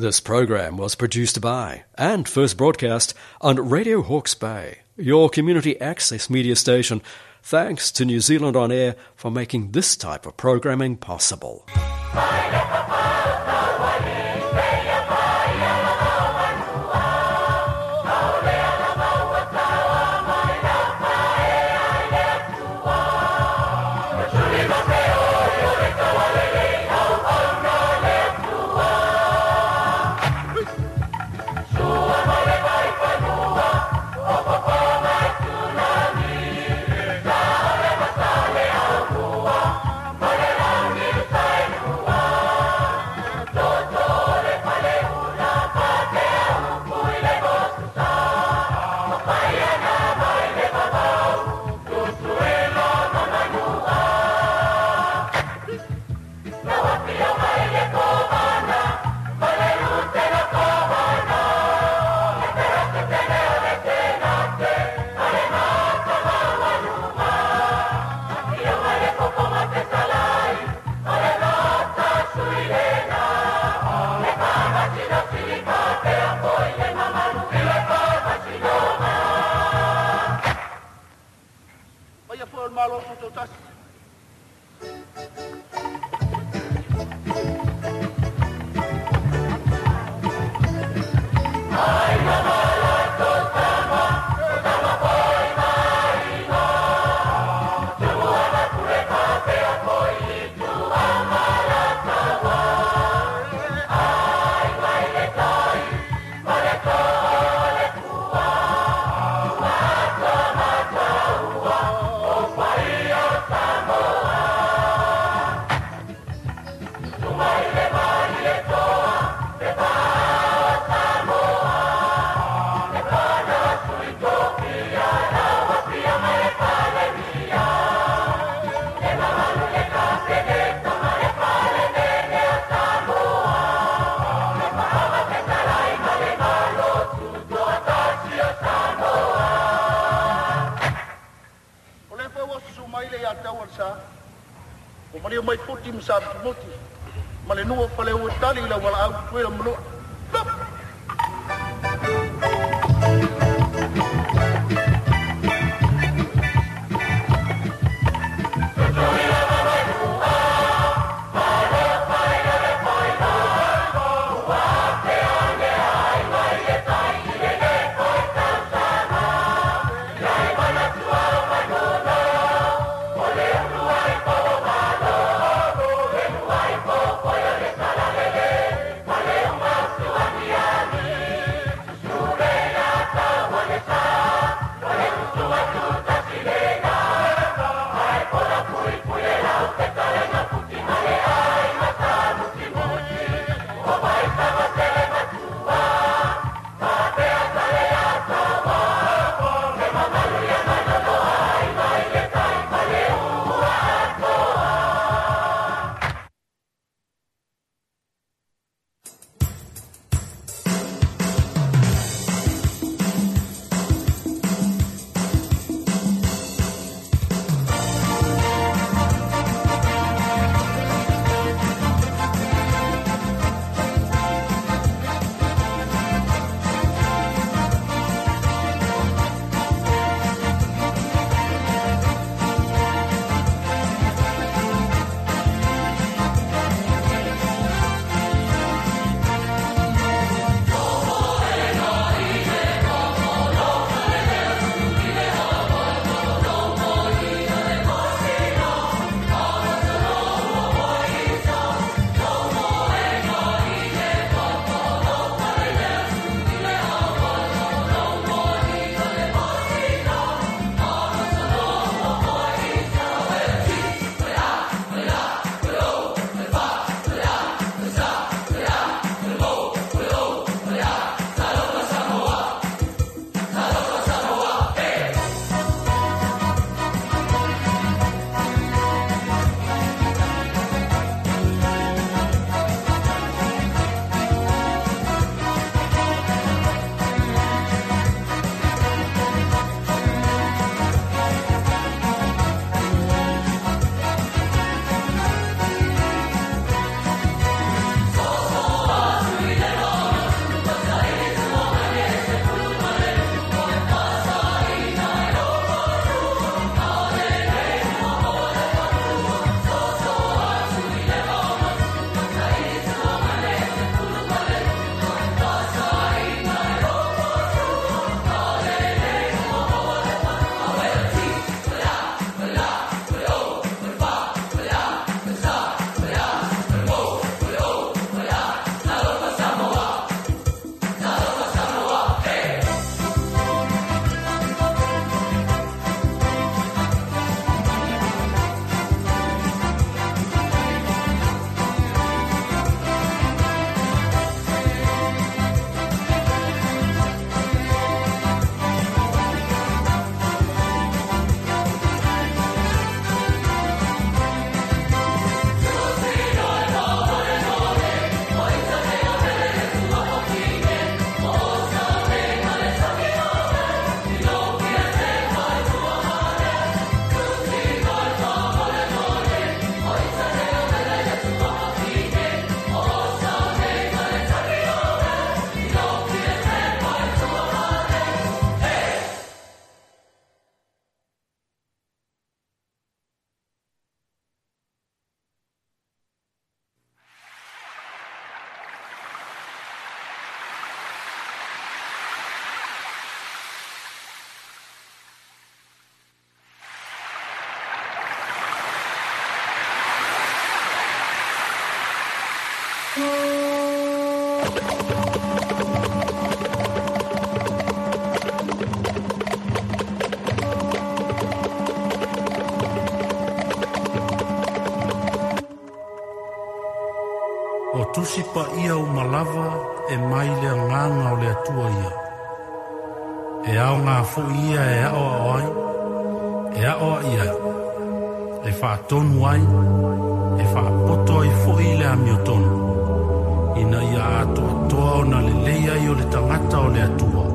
This program was produced by and first broadcast on Radio Hawke's Bay, your community access media station. Thanks to New Zealand On Air for making this type of programming possible. O tusi paia uma lava e mai le agaga o le Atua ia. E aoga foi ia e aoao ai, e aoai ai, e faatonu ai, e faapoto ai foi le amiotonu, ina ia atoatoa ona lelei ai o le tagata o le Atua,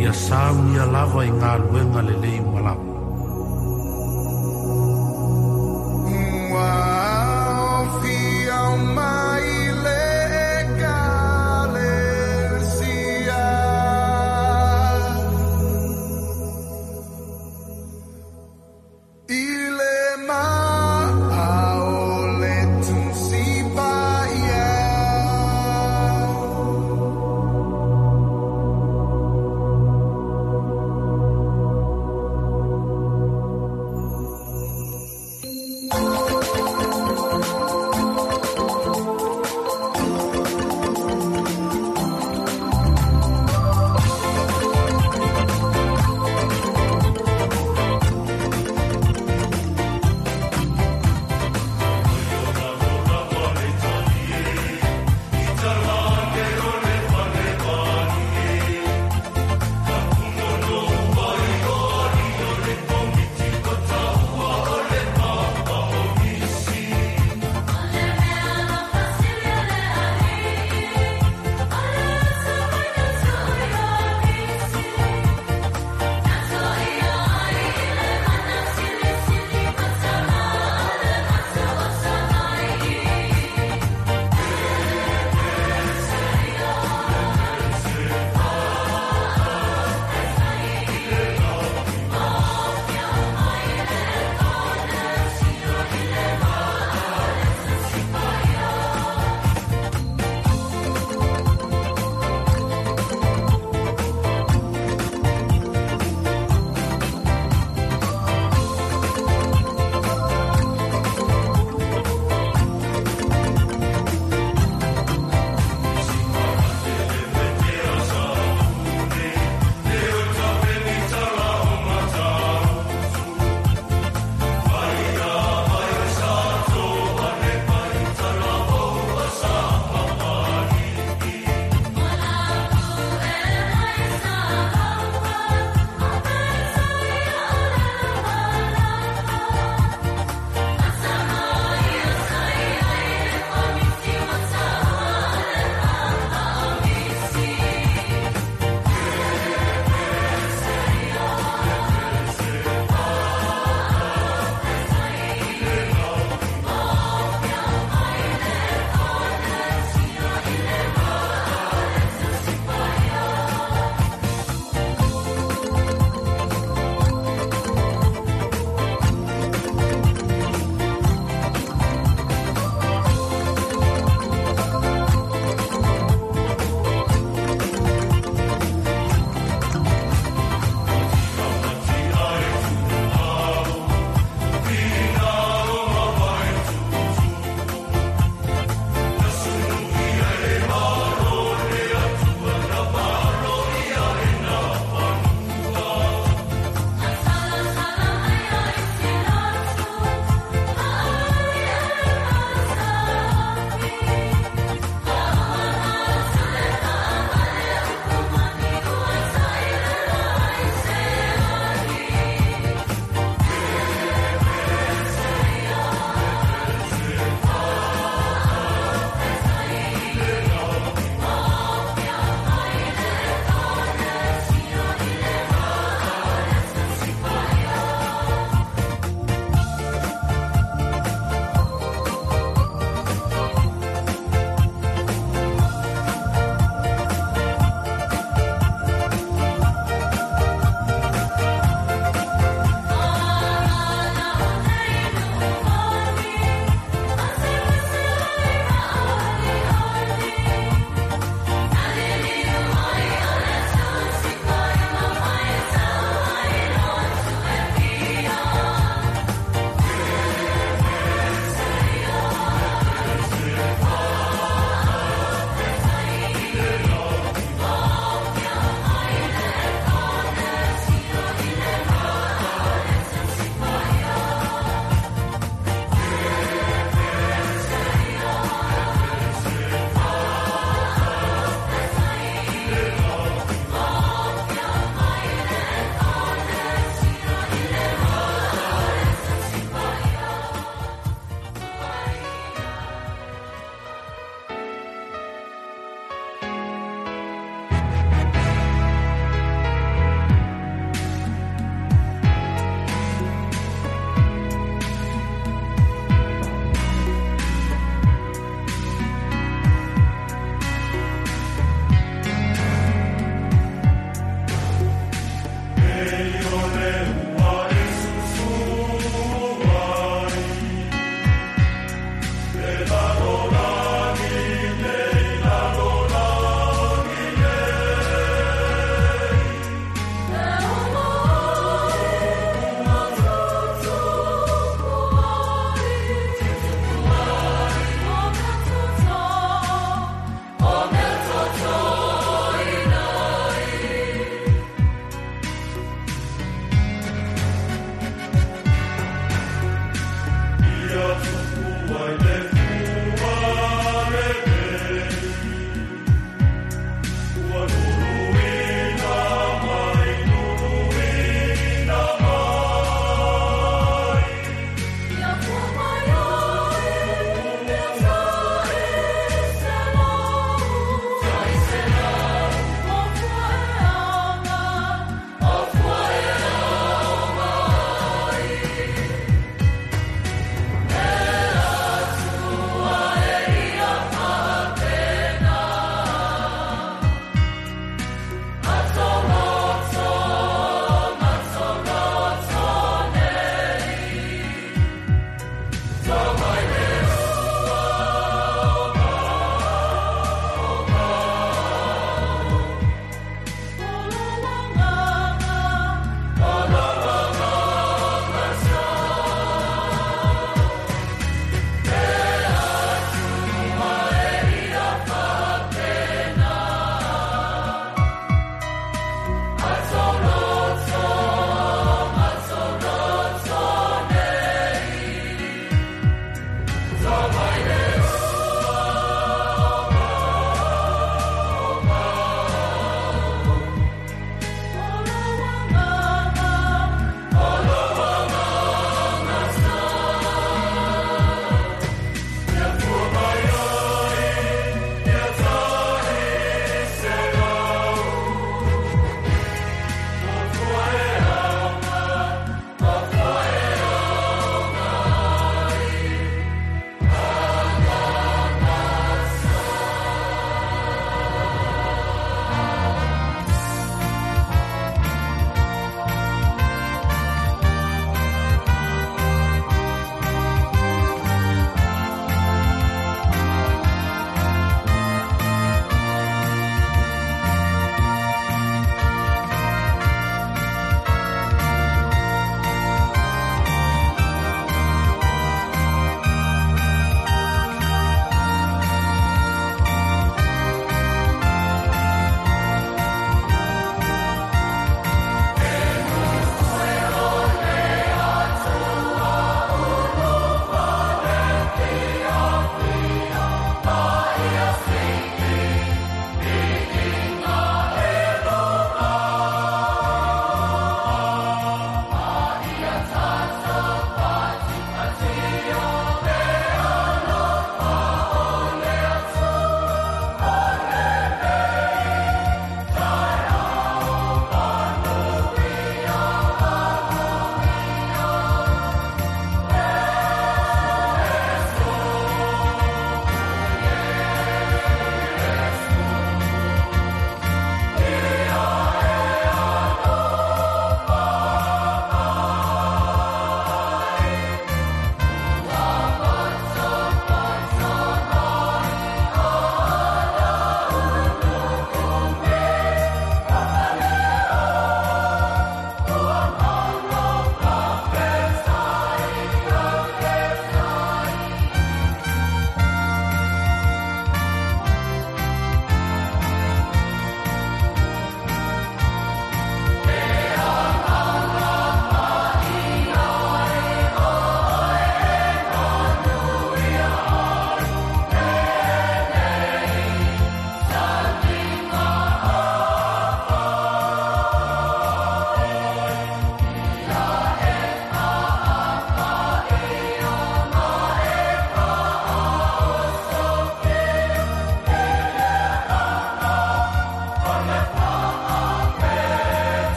ia saunia lava i galuega lelei uma lava.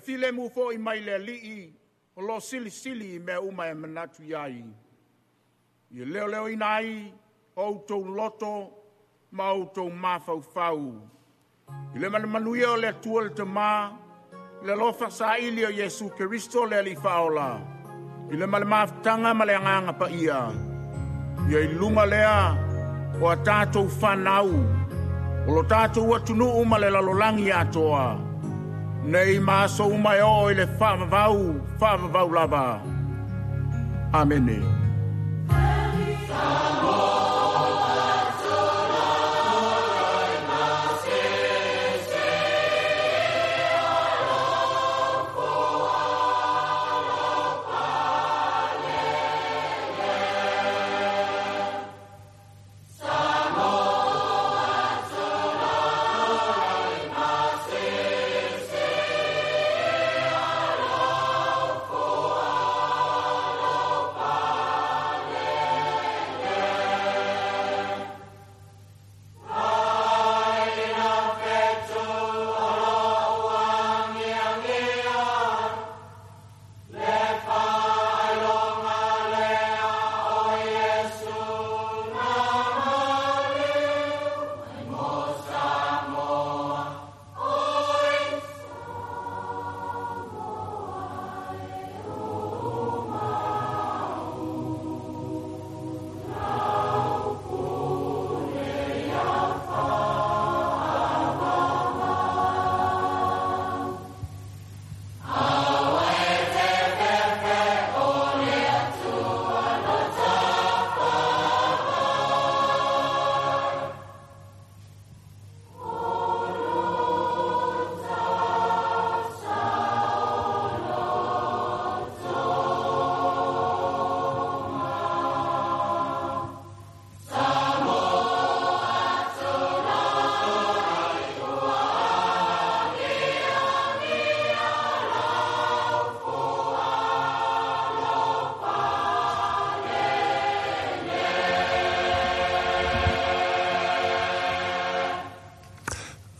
Filemu foi mai le alii o lo silisili i mea uma e manatu iai. Ia leoleoina ai o outou loto ma outou mafaufau. I le manumanuia o le Atua le Tamā, le alofa saili o Iesu Keriso le Alii Faaola, i le ma le mafutaga ma le agaga paia. Ia i luga lea o a tatou fanau, o lo tatou atunuu ma le lalolagi atoa. Nei ma aso uma e oo i le faavavau, faavavau lava. Amene.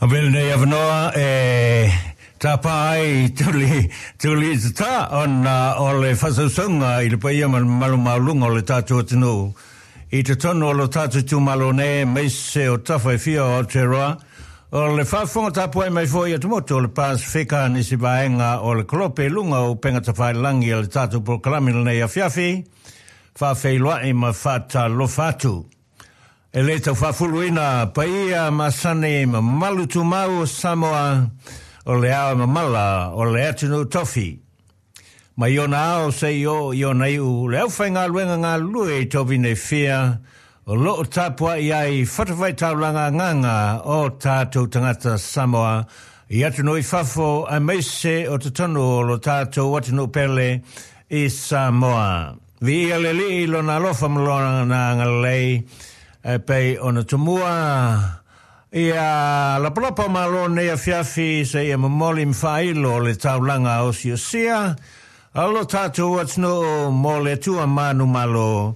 Avea lenei avanoa e tapa ai tuli, tuli i tatā ona o le faasausauga i le paia ma le mamalu maualuga o le tatou atunuu i totonu o lo tatou itumalo nei aemaise o tafa e fia o Aotearoa. O le faafofoga tapuai mai foi i atumotu o le Pasefika nisi vaega o le kolope i luga o upega tafailagi a le tatou polokalame i lenei afiafi, faafeiloai ma faatalofa atu. E le tau faafuluina paia masani ma mamalu tumau o Samoa, o le ao e mamala o le atunuu tofi. Mai ona ao seia oo i ona iu, le aufaigaluega galulue i tovina e fia, o lo o tapuai ai fatafaitaulaga agaga o tatou tagata Samoa i atunuu i fafo aemaise o totonu o lo tatou atunuu pele i Samoa. Viia le Alii i lona alofa ma lona agalelei, e pei ona tumua ia lapalapa o malo nei afiafi seia momoli ma faailo le taulaga osiosia a lo tatou atunuu mo le Atua manumalo,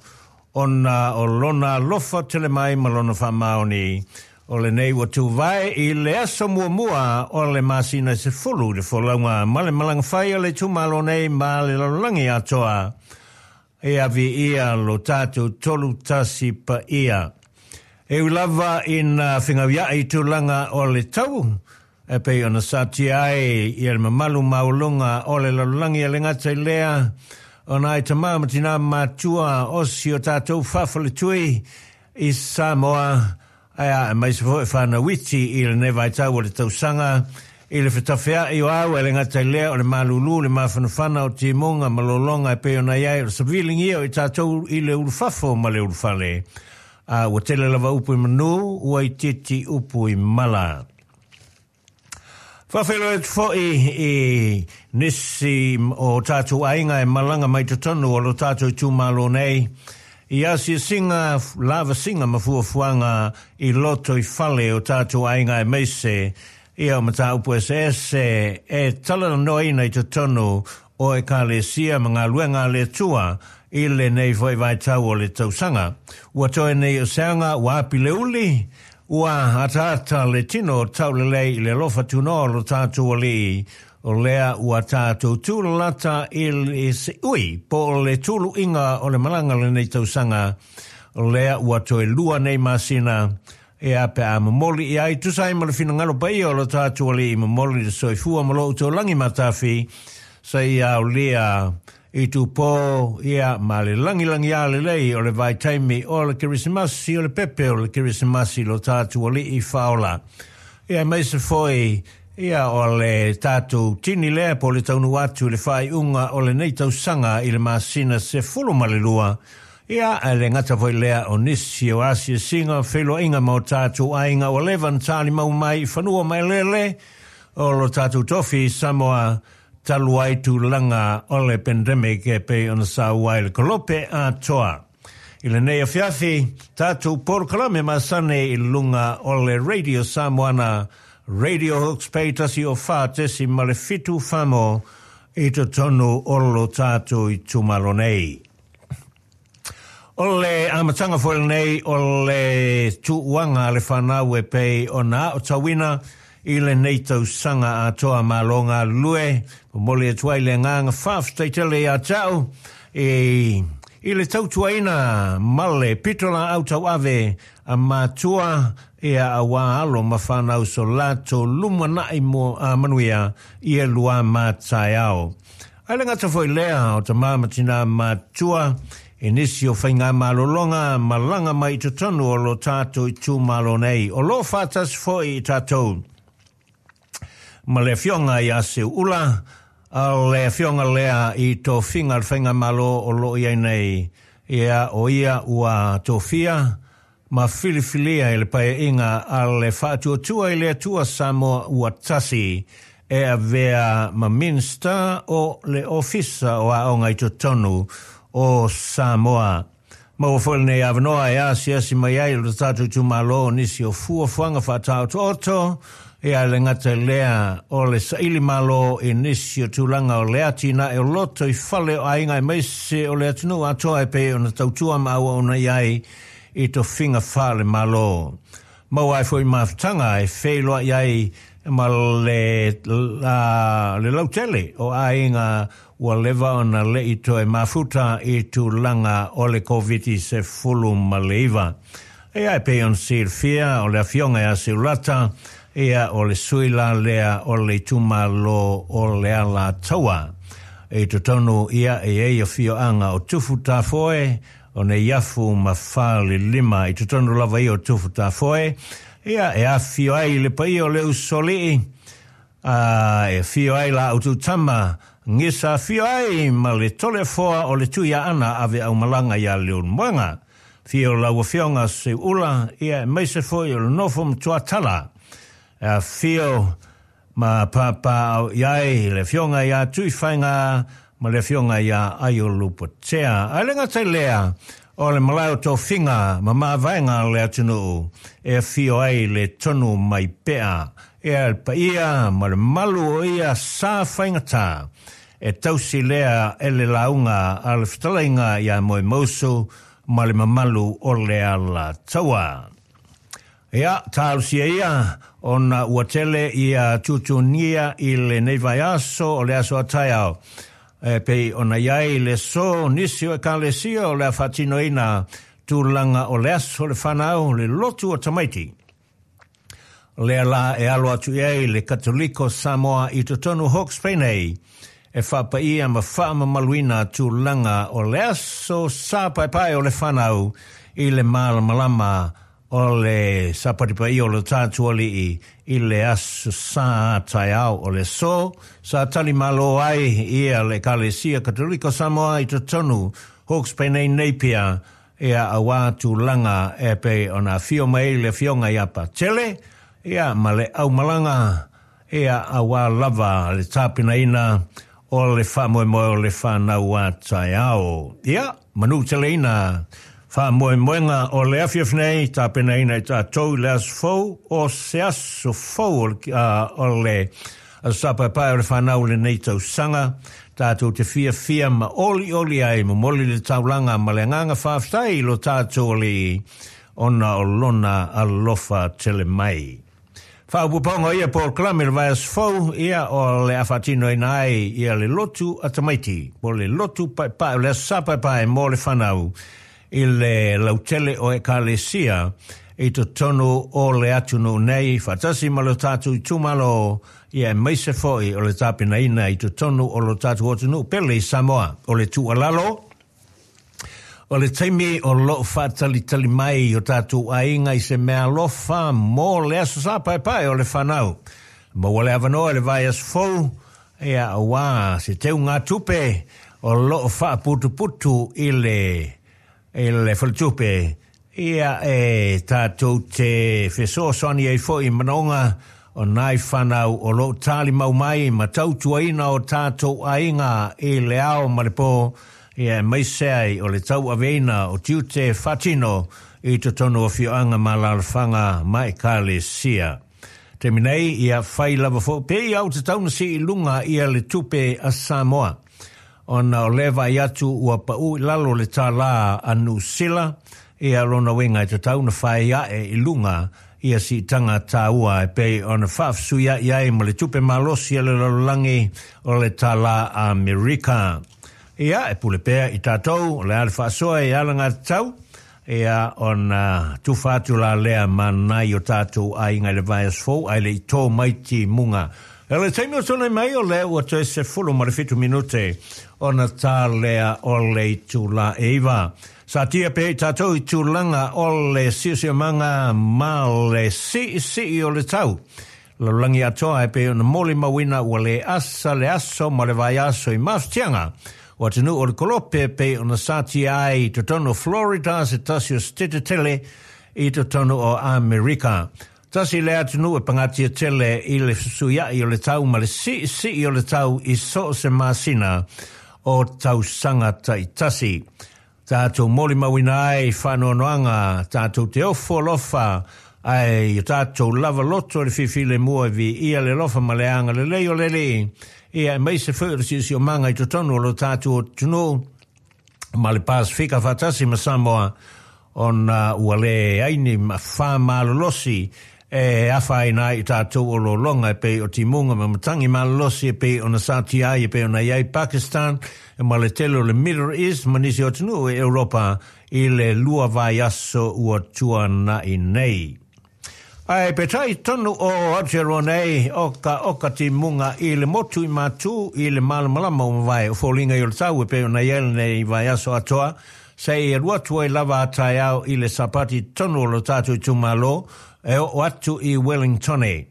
ona o lona alofa tele mai ma lona faamaoni. O lenei ua tuvae i le aso muamua o le masina e 10 i le folauga ma le malaga fai a le itumalo nei ma le lalolagi atoa. E viia lo tatou tolu tasi paia. E ui lava ina fegauiaʻi tulaga o le tau, e pei ona satia ai ia le mamalu maualuga o le lalolagi e le gata i lea, ona ai tamā ma tinā matua o si o tatou faafaletui i Samoa, ae aemaise foi whānau iti i lenei vaitau o le tausaga, i le fetafeaʻi o au e le gata i lea o le malūlū, le mafanafana o timuga ma lologa e pei ona i ai o le saviligia o i tatou i le ulufafo ma le ulufale. A ua tele lava upu i manu, ua itiiti upu i mala. Faafeiloai atu foi i nisi o tatou aiga e malaga mai totonu o lo tatou itumalo nei, i asiasiga, lavasiga ma fuafuaga i loto i fale o tatou aiga aemaise ia o mataupu eseese e talanoaina i totonu o Ekalesia ma galuega a le Atua i lenei foi vaitau o le tausaga. Ua toe nei o se aga ua api le uli, Ua ataata le tino taulelei i le alofa tunoa o lo tatou Alii, o lea ua tatou tūlalata i le seui po o le tuluiga o le malaga lenei tausaga, o lea ua toe 2 nei masina, ea pe a momoli i ai tusa ai ma le finagalo paia o lo tatou Alii, momoli le soifua ma lo outou lagi matafi, seia aolia I tupō ia ma le lagilagiā lelei o le vaitaimi o le Kerisimasi, o le pepe o le Kerisimasi lo tatou Alii Faaola. Ia aemaise foi ia o le tatou tini lea po o le taunuu atu i le faaiuga o lenei tausaga i le masina 12, ia ae le gata foi lea o nisi o asiasiga, feiloaiga ma o tatou aiga ua leva ona talimau mai i fanua ma eleele o lo tatou tofi i Samoa, talu ai tulaga o le pandemic e pei ona saua ai le kolope atoa. I lenei afiafi, tatou polokalame masani i luga o le Radio Samoana, Radio Hawke's Bay 104.7 famo i totonu o lo tatou itumalo nei. O le amataga foi lenei o le tuuaga a le whanau e pei ona aotauina i lenei tausaga atoa malo galulue, momoli atu ai le agaga faafetai tele ia te au i le tautuaina ma le pitolaau tauave a matua ia auā alo ma whanau so latou lumanai mo a manuia i e lua mataeao. Ae le gata foi lea o tamā ma tinā matua i nisi o faigamalologa malaga mai i totonu o lo tatou itumalo nei, o lo o faatasi foi i tatou ma le afioga ia Seuula, a o le afioga lea i tofiga a le faigamalo o lo o i ai nei, ia o ia ua tofia ma filifilia e le Paeaiga a le Faatuatua i le Atua Samoa ua tasi e avea ma Minista o le Ofisa o Aoga i totonu o Samoa. Maua foi lenei avanoa e asiasi mai ai lo tatou itumalo nisi o fuafuaga faataotooto, ia le gata i lea o le saili malo i nisi o tulaga o le atinae o loto i fale o aiga aemaise o le atunuu atoa e pei ona tautua ma auauna i ai i tofiga faale-Malo. Maua ai foi mafutaga e feiloai ai ma le le lautele o aiga ua leva ona le'i toe mafuta i tulaga o le Koviti-19. Ia e pei ona silafia o le afioga ia Seuulata, ia o le sui la lea o le itumalo o le Alataua. I totonu ia e i ai afioaga o Tufutafoe, o Neiafu ma Falelima. I totonu lava ia o Tufutafoe, ia e afifio ai le paia o le Usoalii, a e afio ai la outou tama, gisa afio ai ma le Toleafoa o le Tuiaana ave aumalaga ia Leulumoega. Afio lau Afioga Seuula, ia aemaise foi o le nofo matuatala. E afio ma papaaao i ai le Afioga ia Tuifaiga ma le Afioga ia Aiolupotea. Ae le gata i lea, o le malae o tofiga ma mavaega a le atunuu e afio ai le tonu mai pea. Ea le paia ma le malu o ia sa faigata e tausi lea e le lauga a le fetalaiga ia Moemausu ma le mamalu o le Alataua. Ia, talosia ia, ona ua tele ia tutunia i lenei vaiaso o le aso a taeao. E pei ona i ai le aso nisi o ekalesia o le a faatinoina tulaga o le aso o le fanau, le lotu o tamaiti. Lea la e alo atu i ai le Katoliko Samoa i totonu Hawke's Bay nei, e faapaia ma faamamaluina tulaga o le aso sa paepae o le fanau i le malamalama o le Sapati Paia o lo tatou Alii i le Aso Sa taeao o le aso sa tali malo ai ia le Ekalesia Katoliko Samoa i totonu Hawke's Bay nei Napier ia auā tulaga e pei ona afio mai ai le Afioga ia Patele ia ma le aumalaga ia auā lava le tapenaina o le faamoemoe o le fanau a taeao. Ia, manuteleina faamoemoega o le afiafi nei, tapenaina e tatou i le aso fou, o se aso fou o le, o le Aso Sa Paepae o le fanau o lenei tausaga, tatou te fiafia ma olioli ai, momoli le taulaga ma le agaga faafetai i lo tatou Alii ona o lona alofa tele mai. Faaopoopoga o ia polokalame i le vaiaso fou, ia o le a faatinoina ai ia le lotu a tamaiti, po o le lotu paepae, o le Aso Sa Paepae mo le fanau i le lautele o Ekalesia i totonu o le atunuu nei, faatasi ma lo tatou itumalo, ia aemaise foi o le tapenaina i totonu o lo tatou atunuu pele i Samoa. O le tuualalo, O le taimi o loo faatalitali mai o tatou aiga i se meaalofa mo le Aso Sa Paepae o le fanau. Maua le avanoa i le vaiaso fou, ia auā se teugatupe o loo faaputuputu i le i le faletupe, ia e tatou te fesoasoani ai foi i manaoga o nai fanau o loo talimau mai ma tautuaina o tatou aiga i le ao ma le po, ia aemaise ai o le tauaveina o tiute faatino i totonu o afioaga ma alaalafaga ma ekalesia. Taimi nei, ia fai lava foi pei ia ua tatau ona sii i luga ia le tupe a Samoa, ona o lea vaai atu ua pau i lalo le tālā a Niu Sila, ia lona uiga e tatau ona fai ae i luga ia siitaga tāua e pei ona faafesuia'i ai ma le tupe malosi a le lalolagi o le tālā Amerika. Ia, e pule pea i tatou, o le a le faasoa e alagatatau, ia, ona tufa atu la lea ma nai o tatou aiga i le vaiaso fou, ae le i tō mai timuga. I le taimi o tōnei mai, o lea ua toe 17 minute ona tā lea o le itulā e 9. Satia pea i tatou i tulaga o le siosiomaga ma le siisii o le tau. Lalolagi atoa e pei ona molimauina ua le asa le aso ma le vaiaso i mafatiaga o atunuu o le Kolope e pei ona satia ai i totonu o Florida se tasi o setete tele i totonu o Amerika. Tasi lea atunuu e pagatia tele i le fesuiai o le tau ma le siisii o le tau i so o se masina o tausaga taitasi. Tatou molimauina ai faanoanoaga, tatou te ofo alofa ai i o tatou lava loto i le filefilemu e viia le alofa ma le agalelei o le Alii, ia aemaise foi o le siosiomaga i totonu o lo tatou atunuu ma le Pasefika faatasi ma Samoa. Ona ua leai ni afa malolosi e afaina ai i tatou o lologa e pei o timuga ma matagi malolosi e pei ona satia ai e pei ona i ai Pakistan ma le tele o le Middle East ma nisi o atunuu e Europa i le 2 vaiaso ua tuana'i nei. Ae peitai tonu o Aotearoa nei o ka oka timuga i le motu i Matū i le malamalama o mavae o foliga i o le tau e pei ona i ai lenei vaiaso atoa seia alu atu ai lava a taeao i le Sapati tonu o lo tatou itumalo e oo atu i Wellingtone.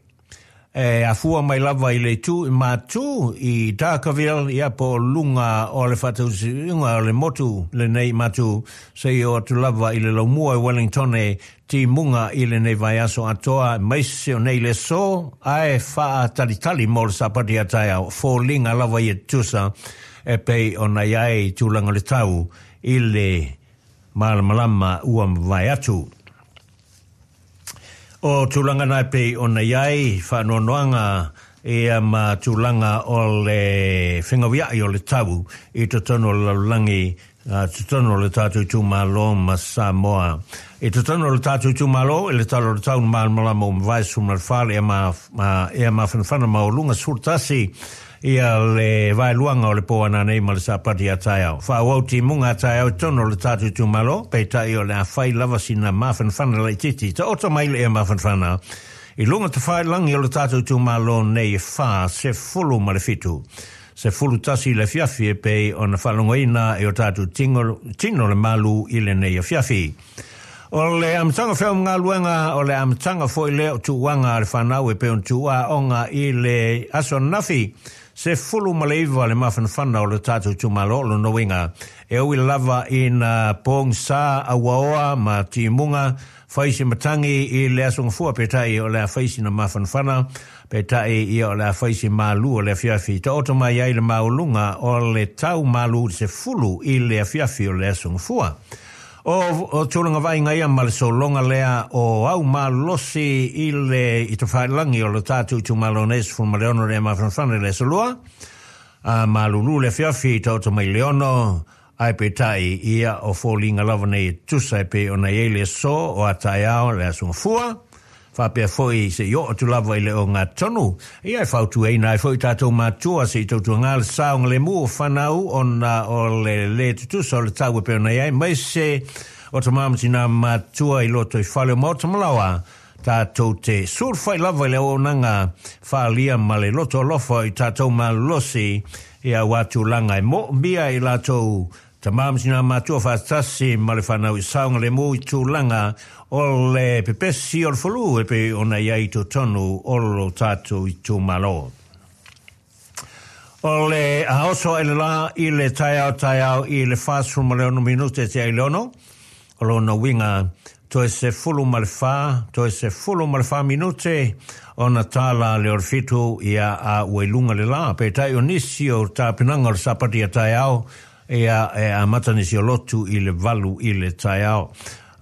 E afua mai lava i le itu i Matū i Darkerville, ia po o luga o le faatausiuga o le motu lenei i Matū, seia oo atu lava i le laumua i Wellingtone, timuga i lenei vaiaso atoa, aemaise o nei le aso, ae faatalitali mo le Sapati a taeao, foliga lava ia tutusa e pei ona i ai tulaga o le tau i le malamalama ua mavae atu. O tulaga na e pei ona i ai faanoanoaga ia ma tulaga o le fegauia'i o le tau i totonu o le lalolagi, totonu o le tatou itumalo ma Samoa. I totonu o le tatou itumalo, i le tala o le tau na malamalama ua mavae 14 le ea mafanafana maualuga 11 ia le vaeluaga o le pō ananei ma le Sapati a taeao. Faaauau timuga a taeao i totonu o le tatou itumalo, peitai o le a fai lava sina mafanafana laitiiti. Taoto mai le ea mafanafana i luga tafailagi o le tatou itumalo nei e 47. 11 i le afiafi e pei ona faalogoina e o tatou tino, tino le malu i lenei afiafi. O le amataga feau-galuega, o le amataga foi lea o tuuaga a le fanau e pei ona tuuaoga i le aso ananafi, 19 le mafanafana o le tatou itumalo o lona uiga, e ui lava ina pogisa auaoa ma timuga, fai se matagi i le aso gafua peitai o le a fai sina mafanafana, peitai ia o le a fai se malu o le afiafi. Taoto mai ai le maualuga o le tau malu 10 i le afiafi o le aso gafua. O tulaga vaaiga ia ma le sologa lea o au malolosi i le i tafailagi o le tatou itumalo nei 16 le mafanafana i le aso Lua, a malulu le afiafi i taoto mai le 6, ae peitai ia o foliga lava nei e tusa e pei ona i ai le aso o a taeao le aso Gafua, Faapea foi se i oo atu lava i le ogatotonu, ia e fautuaina ai foi tatou matua se i tautuaga le saogalemu o fanau ona o le lē tutusa o le tau e pei ona i ai, aemaise o tama ma tinā matua i loto i fale o maota ma laoa, tatou te sulufai lava i le auaunaga faaalia ma le loto alofa i tatou malolosi i aua tulaga e moomia e i latou Tama ma tinā matua faatasi ma le fanau i saogalemu i tulaga o le pepesi o le flu e pei ona i ai i totonu o lo tatou itumalo. O le aoso ae le la i le taeao taeao i le 46 minute te ai le 6, o lona uiga toe 14, toe 14 minute ona tāla lea o le 7 ia a ua i luga le la. Peitai o nisi o tapenaga o le Sapati a taeao, ia e amata nisi o lotu i le 8 i le taeao.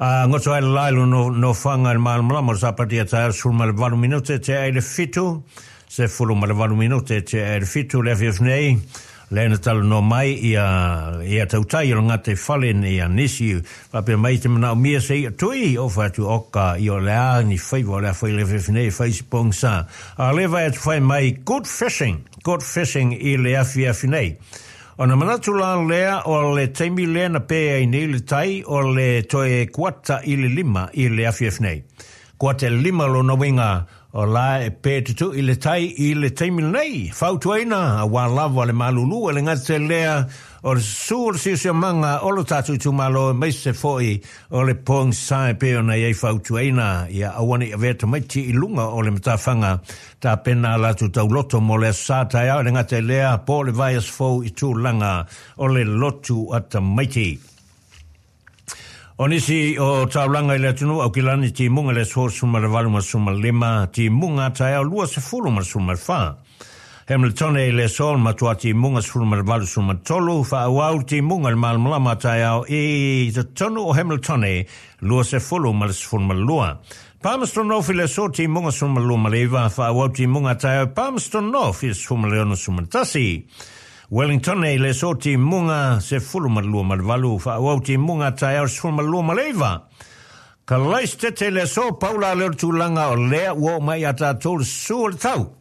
A goto ai le la i le nofoaga i le malamalama o le Sapati a taeao 18 minute te ai le 7, 18 minute te ai le 7 le afiafi nei, lea na talanoa mai ia ia tautai o le gata i fale nei ia nisi faapea mai te manaomia se ia tui o fai atu oka i o le a ni faiva o le a fai le afiafi nei fai si pogisa. A le vai atu fai mai good fishing, good fishing i le afiafi nei. Ona manatu la lea o le taimi lea na pē ai nei le tai o le toe kuata i le 5 i le afiafi nei. Kuata i le 5 lona uiga o la e pē tutuʻi le tai i le taimi lenei. Fautuaina auā lava le malulu e le gata lea o le susū o le siosiomaga o lo tatou itumalo aemaise foi o le pogisa e pei ona i ai fautuaina ia aua ne i avea tamaiti i luga o le matafaga Tapena a latou tauloto mo le Aso Sa taeao e le gata i lea po o le vaiaso fou i tulaga o le lotu a tamaiti. O nisi o taulaga i le atunuu Aukilani timuga i le aso 18 ma 15, timuga taeao 20 ma 14. Hamiltone i le aso matua timuga 18 13, faaauau timuga i le malamalama taeao i totonu o Hamiltone 20 ma le 12. Palmerston North i le aso timuga 29, faaauau timuga taeao i Palmerston North i le 16 11. Wellington i le aso timuga 12 ma le 8, faaauau timuga taeao 29. Kalaisitete i le aso, pau la lea o le tulaga o lea ua oo mai ia tatou le susu o le tau.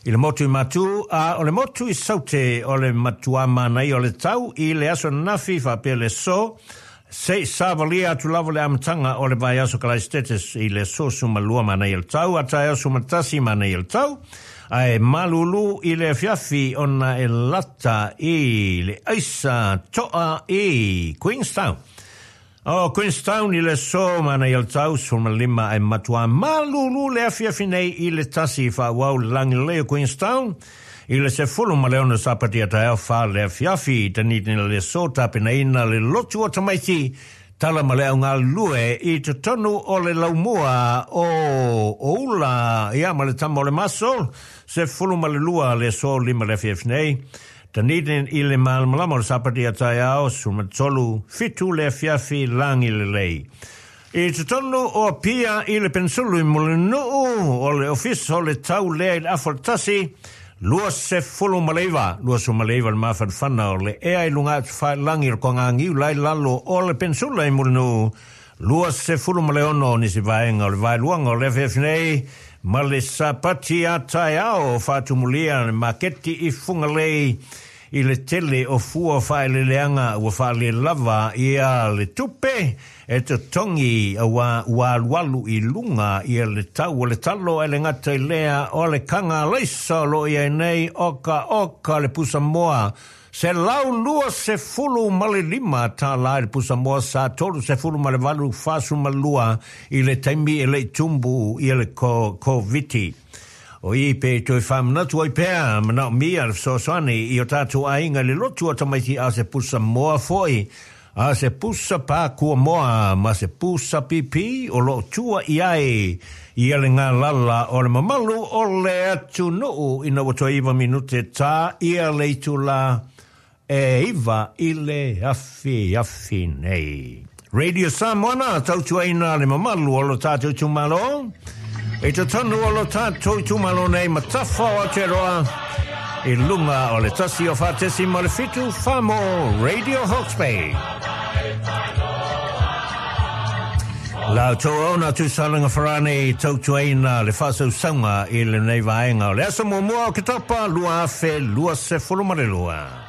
I le motu i Matu a o le motu i Saute o le matuā manaia o le tau i le aso ananafi faapea le aso, seʻi savalia atu lava le amataga o le vaiaso. Kalaisitete i le aso 12 manaia le tau, a taeao 11 manaia le tau, ae malūlū i le afiafi ona e lata i le aisa toa i Queenstown. O Queenstown i le aso manaia le tau 15, ae matuā malūlū le afiafi nei i le 1. Faaauau le lagilelei o Queenstown i le 16 Sapati a taeao 4 le afiafi. Dunedin i le aso tapenaina le lotu o tamaiti tala ma le augalulue i totonu o le laumua o Oula ia ma le tama o le maso 12 le aso 5 le afiafi nei. Dunedin i le malamalama o le Sapati a taeao 13, 7 le afiafi lagilelei. I totonu o Apia i le Peninsula i Mulinuu o le ofisa o le tau lea i le afa o le 1, 29, 29 le mafanafana o le ea i luga atu faelagi o le toagagiu lai lalo o le Peninsula i Mulinuu, 26 nisi vaega o le vaeluaga o le afiafi nei ma le Sapati a taeao. Faatumulia le maketi i Fugalei i le tele o fua faaeleeleaga ua faalelava ia le tupe e totogi auā ua alualu i luga ia le tau o le talo, e le gata i lea o le kaga alaisa o loo iai nei oka oka le pusamoa 125 tālā i le pusamoa sa 38 42 i le taimi e leʻi tumbu ia le Koviti. O i pe toe faamanatu ai pea manaomia le fesoasoani i o tatou aiga i le lotu o tamaiti a se pusa moa foʻi a se pusa pakua moa ma se pusa pipi o loo tua i ai ia le galala o le mamalu o le atunuu ina ua toe 9 minute tā ia le itulā e 9 i le afiafi nei. Radio Samoa tautuaina le mamalu o lo tātou itumalo. I totonu o lo tātou itumalo nei matafa o Aotearoa i lunga o le 104.7 Famo Radio Hawke's Bay. La outou ona Tuisalega Farani tautuaina le faasausauga i lenei vaega o le aso muamua o Oketopa 2022.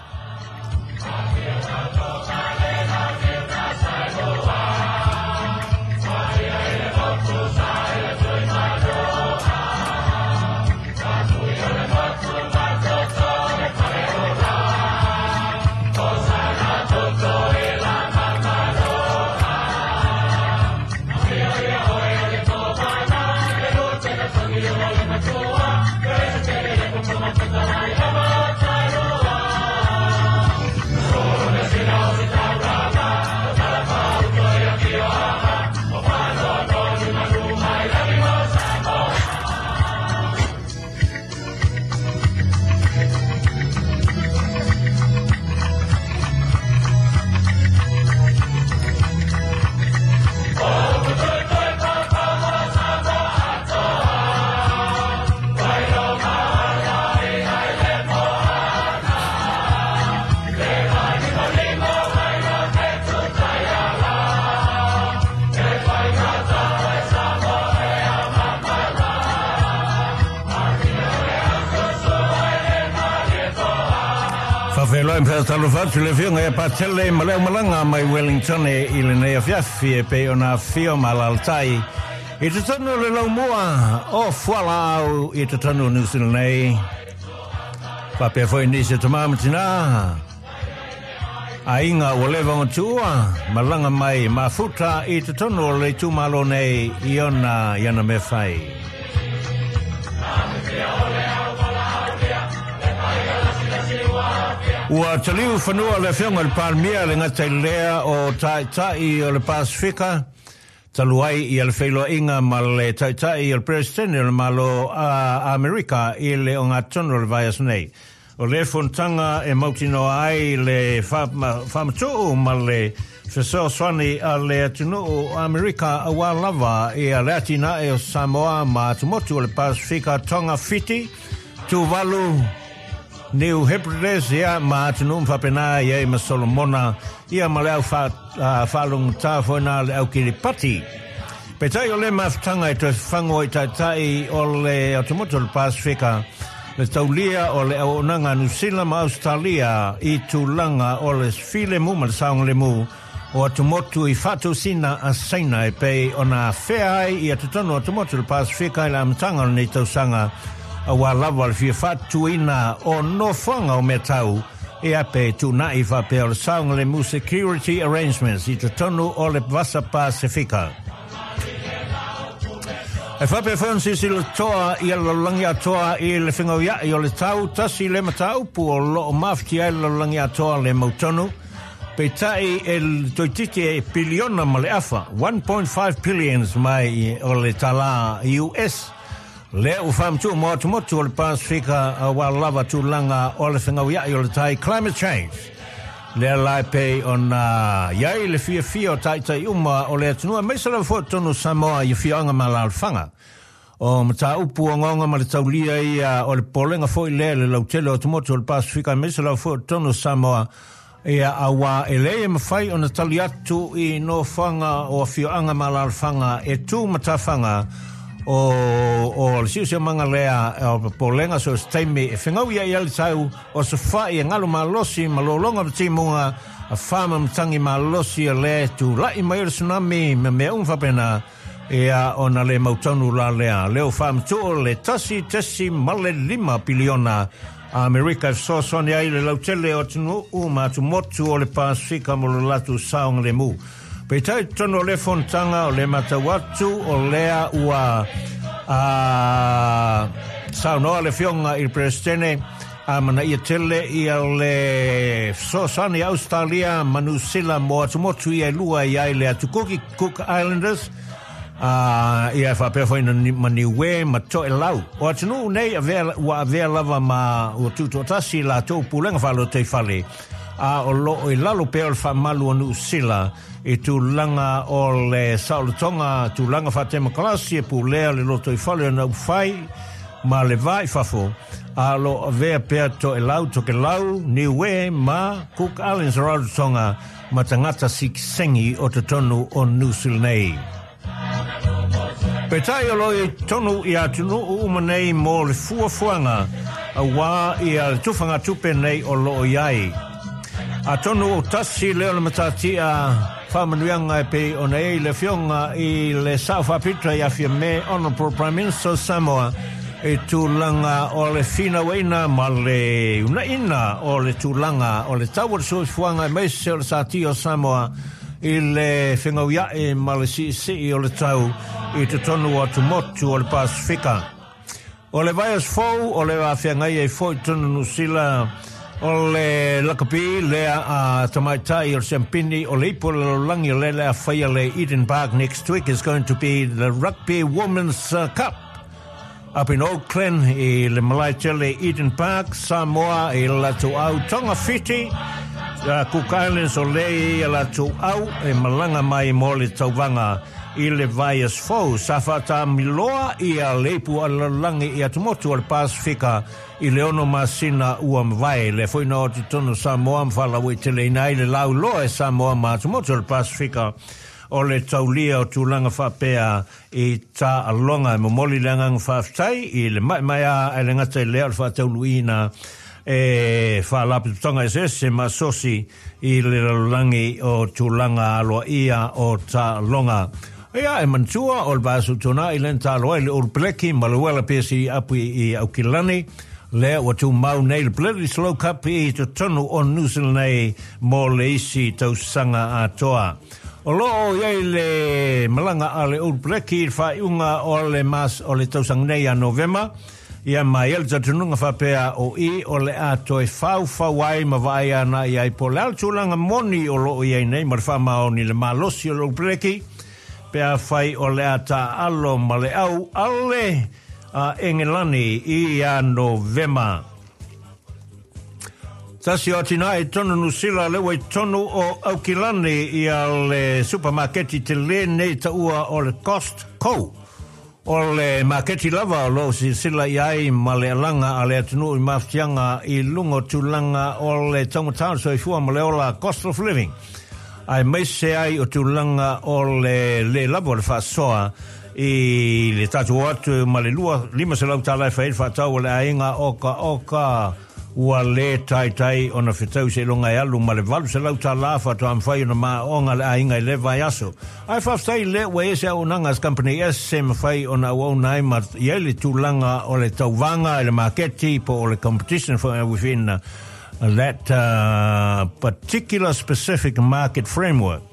Faafeiloai ma faatalofa atu le afioga ia Patele ma le aumalaga mai Wellington i lenei afiafi e pei ona afio ma alaalatai i totonu o le laumua o Fualaau i totonu o New Zealand nei. Faapea foi nisi o tamā ma tinā aiga ua leva ona tuua malaga mai mafuta i totonu o le itumalo nei i ona i ana mea fai. Ua taliu fanua le afioga i le Palemia le gata i lea o Taitai o le Pasifika, talu ai ia le feiloaiga ma le Taitai o le Peresetene o le Malo a Amerika i le ogatotonu o le vaiaso nei. O le fonotaga e mautinoa ai le faamatuu ma le fesoasoani a le atunuu o Amerika auā lava ia le atinae o Samoa ma atumotu o le Pasifika, Tonga, Fiti, Tuvalu, New Hebrides, ia, ma atunuu uma faapena e i ai ma Solomona, ia ma le au faalogogata foi lena a le au Kiripati. Peitai o lea mafutaga e toe fafagu ai taitai o le atumotu o le Pasefika, le taulia o le auaunaga a Niu Sila ma Ausetalia i tulaga o le filemu ma le saogalemu o atumotu i faatosina a Saina e pei ona afea ai ia totonu o atumotu o le Pasefika i le amataga o lenei tausaga aua lava le fia faatutuina o nofoaga o mea tau e ape tuunai faapea o le saogalemu security arrangements i totonu o le Vasa Pasefika. E faapea foi ona silasila totoa ia le lalolagi atoa i le fegauia'i o le tau tasi le mataupu o lo o mafatia ai le lalolagi atoa le mautonu, peitai e toeitiiti e piliona ma le afa, 1.5 billions mai o le tālā US, lea ua faamatuu mo atumotu o le Pasefika aua lava tulaga o le fegauia'i o le tai, climate change. Lea la e pei ona i ai le fiafia o taitai uma o le atunuu aemaise lava foi totonu o Samoa i afioaga ma alaalafaga. O mataupu ogaoga ma le taulia ia o le popolega foi lea i le lautele o atumotu o le Pasefika aemaise lava foi o totonu o Samoa, ia auā e leai e mafai ona tali atu i nofoaga o afioaga ma alaalafaga e tu matafaga o o le siosiomaga lea o popolega so o se taimi e fegauia'i ai le tau o se fa'i e galu malosi ma lologa ma timuga a fa ma matagi malosi o lea e tula'i mai o le tsunami ma mea uma faapena ia ona le mautonu la lea leo faamatuu le 1.5 piliona Amerika e fesoasoani ai le lautele o atunuu ma atumotu o le Pasefika mo lo latou saogalemu. Peitai i totonu o lea fonotaga o lea matau atu o lea ua saunoa le Afioga i le Peresetene a manaia tele ia le fesoasoani a Ausetalia ma Niu Sila mo atumotu ia e lua i ai le atu Kuki, Cook Islanders, a ia e faapea foi na ma Niue ma Toelau. O atunuu nei avea, ua avea lava ma ua tutoatasi latou pulega faalotoifale, a o loo i lalo pea o le faamalu o Niu Sila i tulaga o le saolotoga, tulaga faatemokarasi e pulea le lotoifale o Naufai ma le va i fafo, a o loo avea pea Toelau, Tokelau, Niue ma Cook Islands Rarotonga ma tagata sikisengi o totonu o Niu Sila nei. Peitai o lo o i totonu i atunuu uma nei mo le fuafuaga auā ia le tufagatupe nei o lo o i ai. Atonu o tasi lea o le matatia faamanuiaga e pei ona i ai le Afioga i le Sao Faapito ia Fiamē, Honourable Prime Minister of Samoa, i tulaga o le finauaiina ma le uunaiina o le tulaga o le tau o le soifuaga aemaise o le sātia o Samoa i le fegauia'i ma le siisii o le tau i totonu o atumotu o le Pasefika. O le vaiaso fou o le afeagai ai foi totonu o Niu Sila o le lakapi lea a tamaitai o le siampini o le ipu o le lalolagi o lea le a faia le Eden Park. Next week is going to be the Rugby Women's Cup up in Auckland i le malae tele Eden Park, Samoa i le latou au Tonga Fiti, Cook Islands o lea i latou au e malaga mai mo le tauvaga i le vaiaso fou. Sa faatamiloa ia le ipu a le lalolagi i atumotu o le Pasefika i le 6 masina ua mavae. Lea foi na o atu totonu o Samoa ma faalauaiteleina ai le lauiloa e Samoa ma atumotu o le Pasefika o le taulia o tulaga faapea i taaloga. E momoli le agaga faafetai i le maemaea ae le gata i lea o le faatauluina e faalapotopotoga eseese ma asosi i le lalolagi o tulaga aloaia o taaloga. Ia, e manatua o le vaiaso tuanai lea na taalo ai le Ulu Peleki ma le Uela PSC Apu i Aukilani, lea ua tumau nei le Bledisloe Cup i totonu o New Zealand nei mo le isi tausaga atoa. O lo o i ai le malaga a le Ulu Peleki i le faaiuga o le mas o le tausaga nei ia Novema, ia ma i ai le talitonuga faapea o i o le a toe faufau ai ma vaai ana i ai po o le a le tulaga moni o lo o i ai nei ma le faamaoni i le malosi o le Ulu Peleki pe afai o le a taaalo ma le au ale a Engelani i ia Novema. Tasi o atinae i totonu o Niu Sila lea ua i totonu o Aukilani ia le supamaketi tele nei taua o le Costco. O le maketi lava o loo silasila i ai ma le alaga a le atunuu i mafatiaga i luga o tulaga o le taugata o le soifua ma le ola, cost of living, aemaise ai o tulaga o le lē lava o le faasoa i le tatou o atu ma le $250 e fai ai le faatau a le aiga okaoka ua lē taitai ona fetau seiloga e alu ma le $800 faatoa mafai ona maoaoga le aiga i lea vaiaso. Ae faafetai lea ua i ai se auaunaga a se kamupani ese e mafai ona auauna ai ma i ai le tulaga o le tauvaga i le maketi po o le competition foi within that particular specific market framework.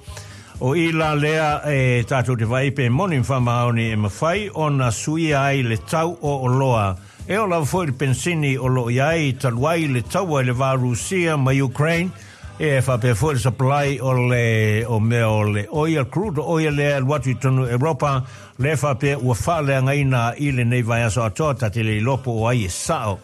O i la lea e tatou te vaai pe moni ma faamaoni e mafai ona suia ai le tau o oloa. E oo lava foi i le penisini o lo o i ai talu ai le taua i le va o Rusia ma Ukraine, e faapea foi le supply o le o mea o le oil, crude oil lea e alu atu i totonu o Europa, lea faapea ua faaleagaina i lenei vaiaso atoa, ta te le iloa po o ai e sao.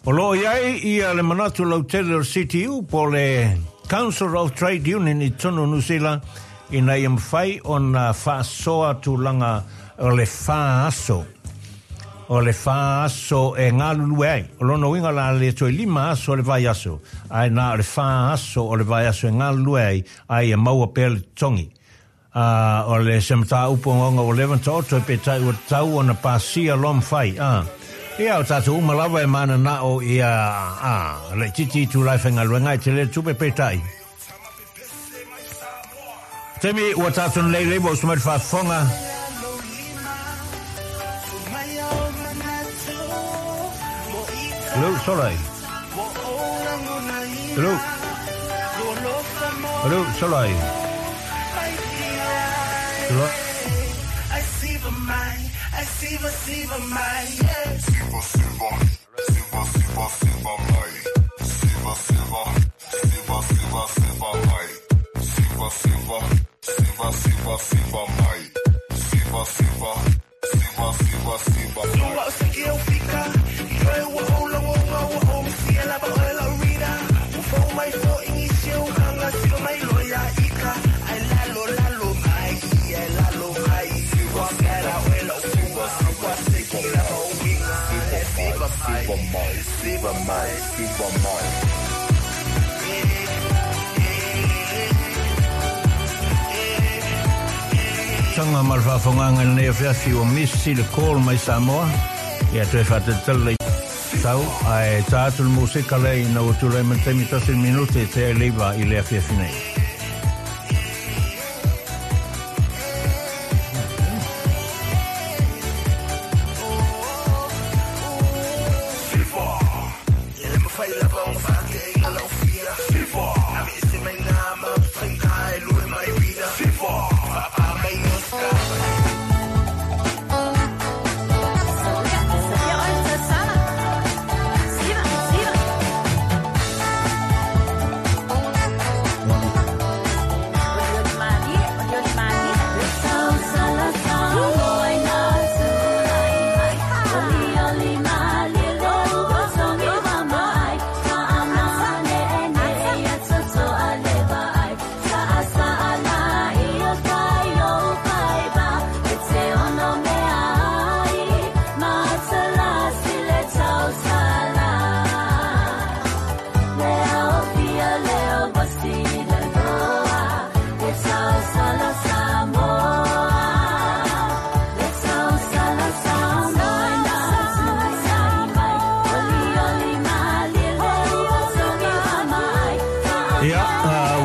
O lo o i ai ia le manatu lautele o le CTU po o le Council of Trade Union i totonu o Niu Sila ina ia mafai ona faasoa tulaga o le fa aso. O le fa aso e galulue ai. O lona uiga o le a le toe 5 aso o le vaiaso, ae na o le fa aso o le vaiaso e galulue ai, a ia maua pea le totogi. A o le se mataupu ogaoga ua leva ona taoto e peitai ua tatau ona pasia loa mafai, a. Ia, o tatou uma lava e mananao ia, a, laitiiti itula e faigaluega ai, tele le tupe peitai. Taimi ua tatou nei lei ua usu mai le faafofoga. Hello, Solai. Hello. Hello, Solai. Hello. Tanga ma le faafogaaga i lenei afiafi ua misi le call mai Samoa. Ia toe faatalitali le tau ae ta atu le musika lea ina ua tulai mai le taimi tasi le minute e tea i le 9 i le afiafi nei. Ia,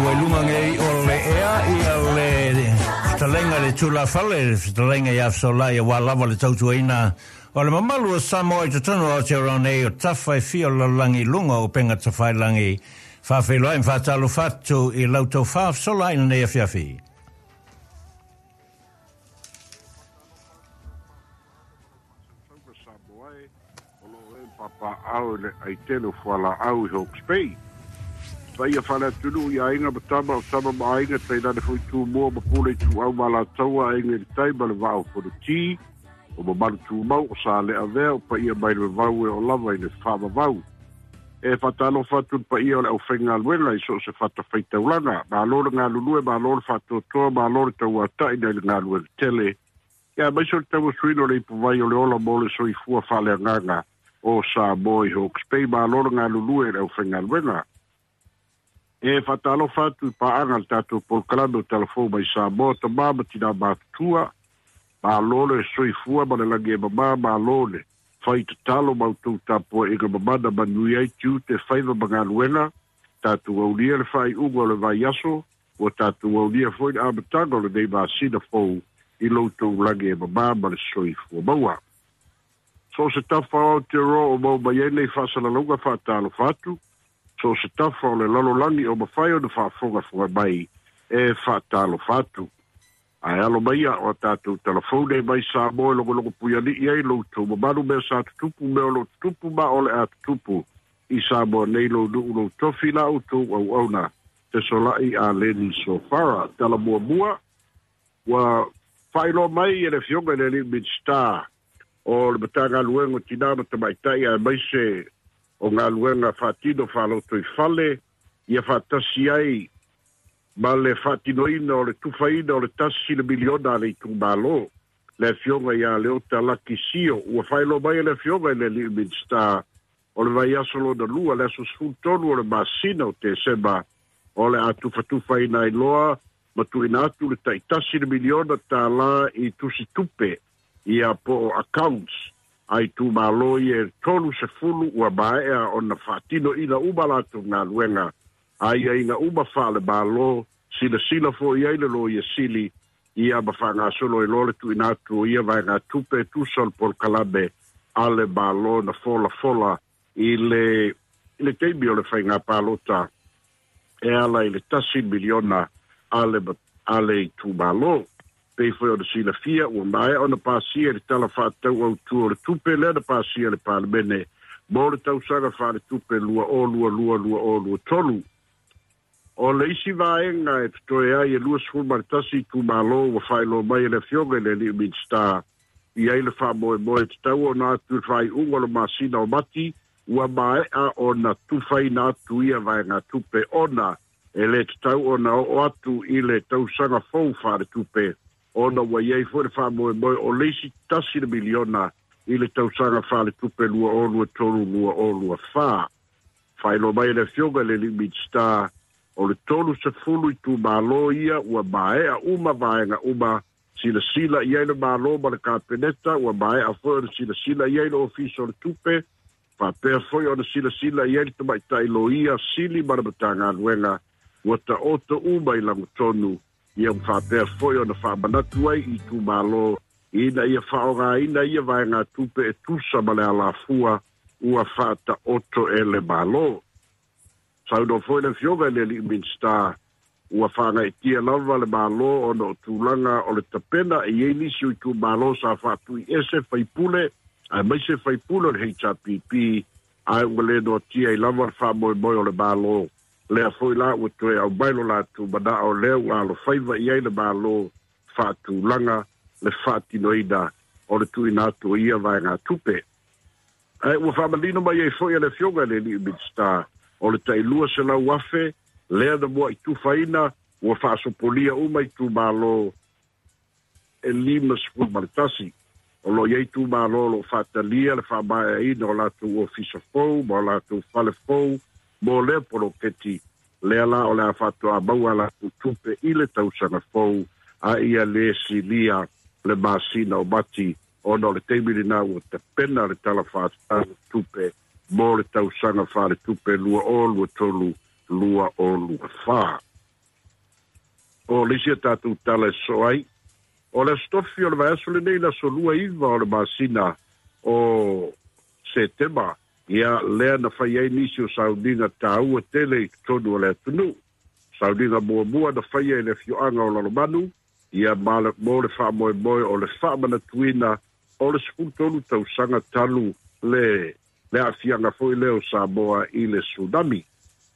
ua i luga nei o le ea ia le fetalaiga i le tulafale, le fetalaiga ia Fesolai aua lava le tautuaina o le mamalu o Samoa i totonu o Aotearoa nei o tafa e fia o le lalolagi i luga o upega tafailagi. Faafeiloai ma faatalofa atu i lau tofa Fesolai i lenei afiafi. Samoa e, o lo o e papaaao i le aitele o fualaau i Hawke's Bay. Paia faale-atunuu i aiga ma tama, o tama ma aiga, tainane foi Tumua ma Pule Ituau ma Alataua, Aiga i le Tai ma le Vaa o Fonoti, o mamalu tumau o Saleavea, o paia mai le vavau e oo lava i le faavavau. E faatalofa atu i le paia o le aufaigaluega i so o se fatafaitaulaga. Malo le galulue, malo le faatoatoa, malo le tauata'i nai le galuega tele. Ia aemaise o le tauasuina o le ipuvai o le ola mo le soifua faaleagaga o Samoa i Hawke's Bay. Malo le galulue i le aufaigaluega. E faatalofa atu i paaga a le tatou polokalame o Talafou mai Samoa, tamā ma tinā matutua, malo le soifua ma le lagi e mamā, malo le fai tatalo ma outou tapuaiga mamana manuia ai tiute, faiva ma galuega. Tatou aulia le faaiuga o le vaiaso, ua tatou aulia foi le amataga o lenei masina fou i lo outou lagi e mamā ma le soifua maua. So o se tafa o Aotearoa o maua mai ai nei faasalalauga faatalofa atu, so o se tafa o le lalolagi o mafai ona faafogafoga mai e faatalofa atu. Ae alo maia o a tatou talafou nei mai Samoa e logologo puialii ai lo outou mamalu mea sa tutupu, mea o lo o tutupu ma o le a tutupu i Samoa nei, lou nuu, lou tofi, la outou auauna fesolai a Leni Sofara. Tala muamua ua faailoa mai e le Afioga i le Alii Minisita o le Matagaluega o Tinā ma Tamaitai aemaise o galuega faatino faalotoifale ia faatasi ai ma le faatinoina o le tufaina o le $1 miliona a le itumalo, le Afioga ia Leota Laki Sio. Ua faailoa mai e le Afioga i le Alii Minisita o le vaiaso lona lua, le aso 13 o le masina o Tesema, o le a tufatufaina ai loa ma tuuina atu le taitasi le miliona tālā i tusi tupe ia po o accounts a itumalo ia e 30 ua maea ona faatinoina uma latou galuega, aiaiga uma faale-Malo, silasila foi ai le Loia Sili ia ma faagasolo ai loa le tuuina atu o ia vaegatupe e tusa o le polokalame a le Malo na folafola i le i le taimi o le faiga palota e ala i le $1 miliona a le a le itumalo. Pei foi ona silafia, ua maea ona pasia i le Tala Faatatau Autu o le Tupe lea na pasia e le Palemene mo le tausaga faaletupe 2022/2023. O le isi vaega e totoe ai e 21 itumalo ua faailoa mai e le Afioga i le Alii Minisita i ai le faamoemoe tatau ona atu i le faaiuga o le masina o Mati ua maea ona tufaina atu ia vaegatupe ona e le tatau ona oo atu i le tausaga fou faaletupe ona ua i ai foi le faamoemoe o le isi $1 miliona i le tausaga faaletupe 2023/2024. Faailoa mai e le Afioga i le Alii Minisita o le 30 itumalo ia ua maea uma vaega uma silasila i ai le Malo ma le Kapeneta, ua maea foi ona silasila i ai le Ofisa o le Tupe, faapea foi ona silasila i ai le Tamaitai Loia Sili ma le Matagaluega, ua taoto uma i lagotonu ia ua faapea foi ona faamanatu ai i itumalo ina ia faaaogaina ia vaegatupe e tusa ma le alafua ua faataoto e le Malo. Saunoa foi le Afioga i le Alii Minisita ua faagaeetia lava le Malo ona o tulaga o le tapena e i ai nisi o itumalo sa faatuiese faipule aemaise faipule o le HRPP ae ua le noatia ai lava le faamoemoe o le Malo. Lea foi la ua toe aumai lo latou manao lea ua alofaiva i ai le Malo faatulaga le faatinoina o le tuuina atu o ia vaegatupe. Ae ua faamanino mai ai foi e le Afioga i le Alii Minisita o le tai $200,000 lea na muai tufaina ua faasopolia uma itumalo e 51. O lo o i ai itumalo o lo o faatalia le faamaeaina o latou ofisa fou ma o latou fale fou mo lea poloketi, lea la o le a faatoa maua a latou tupe i le tausaga fou a ia lē silia le masina o Mati ona o le taimi lenā ua tapena le Tala Faatatau o Tupe mo le tausaga faaletupe 2023/2024. O le isi a tatou tala e sosoo ai, o le Aso Tofi o le vaiaso lenei, le aso 29 o le masina o Setema, ia lea na fai ai nisi o sauniga taua tele i totonu o le atunuu. Sauniga muamua na faia i le afioaga o Lalomanu, ia ma le, mo le faamoemoe o le faamanatuina o le 13 tausaga talu le le aafiaga foi lea o Samoa i le tsunami.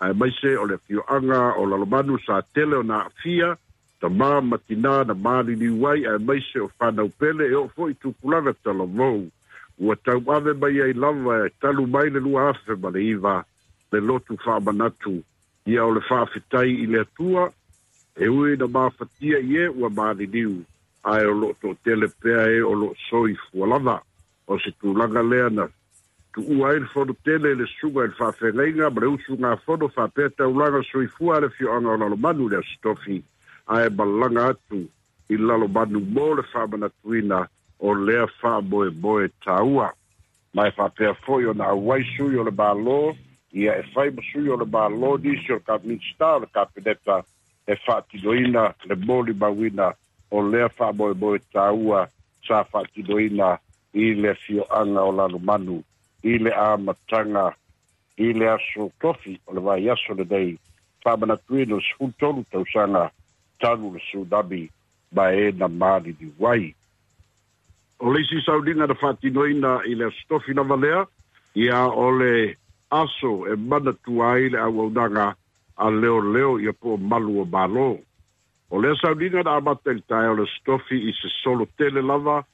Aemaise o le afioaga o Lalomanu sa tele ona aafia tamā ma tinā na maliliu ai aemaise o fanau pele e oo foi i tupulaga talavou ua tauave mai ai lava e talu mai le 2009 le lotu faamanatu ia o le faafetai i le Atua e ui na mafatia i e ua maliliu. Ae o loo toatele pea e o loo soifua lava. O se tulaga lea na tuua ai le fono tele i le susuga i le faafeagaiga ma le usugafono faapea taulaga soifua a le afioaga o Lalomanu i le Aso Tofi, ae malaga atu i Lalomanu mo le faamanatuina o lea faamoemoe taua. Ma e faapea foi ona auai sui o le Malo, ia e fai ma sui o le Malo nisi o le Minisita o le Kapeneta e faatinoina le molimauina o lea faamoemoe taua sa faatinoina i le afioaga o Lalomanu i le amataga i le aso Tofi o le vaiaso lenei, faamanatuina o le 13 tausaga talu le tsunami ma e na maliliu ai. O le isi sauniga na faatinoina i le Aso Tofi lava lea, ia o le aso e manatua ai le auaunaga a leoleo ia po o malu o Malo. O lea sauniga na amata i le taeao o le Aso Tofi i se solo tele lava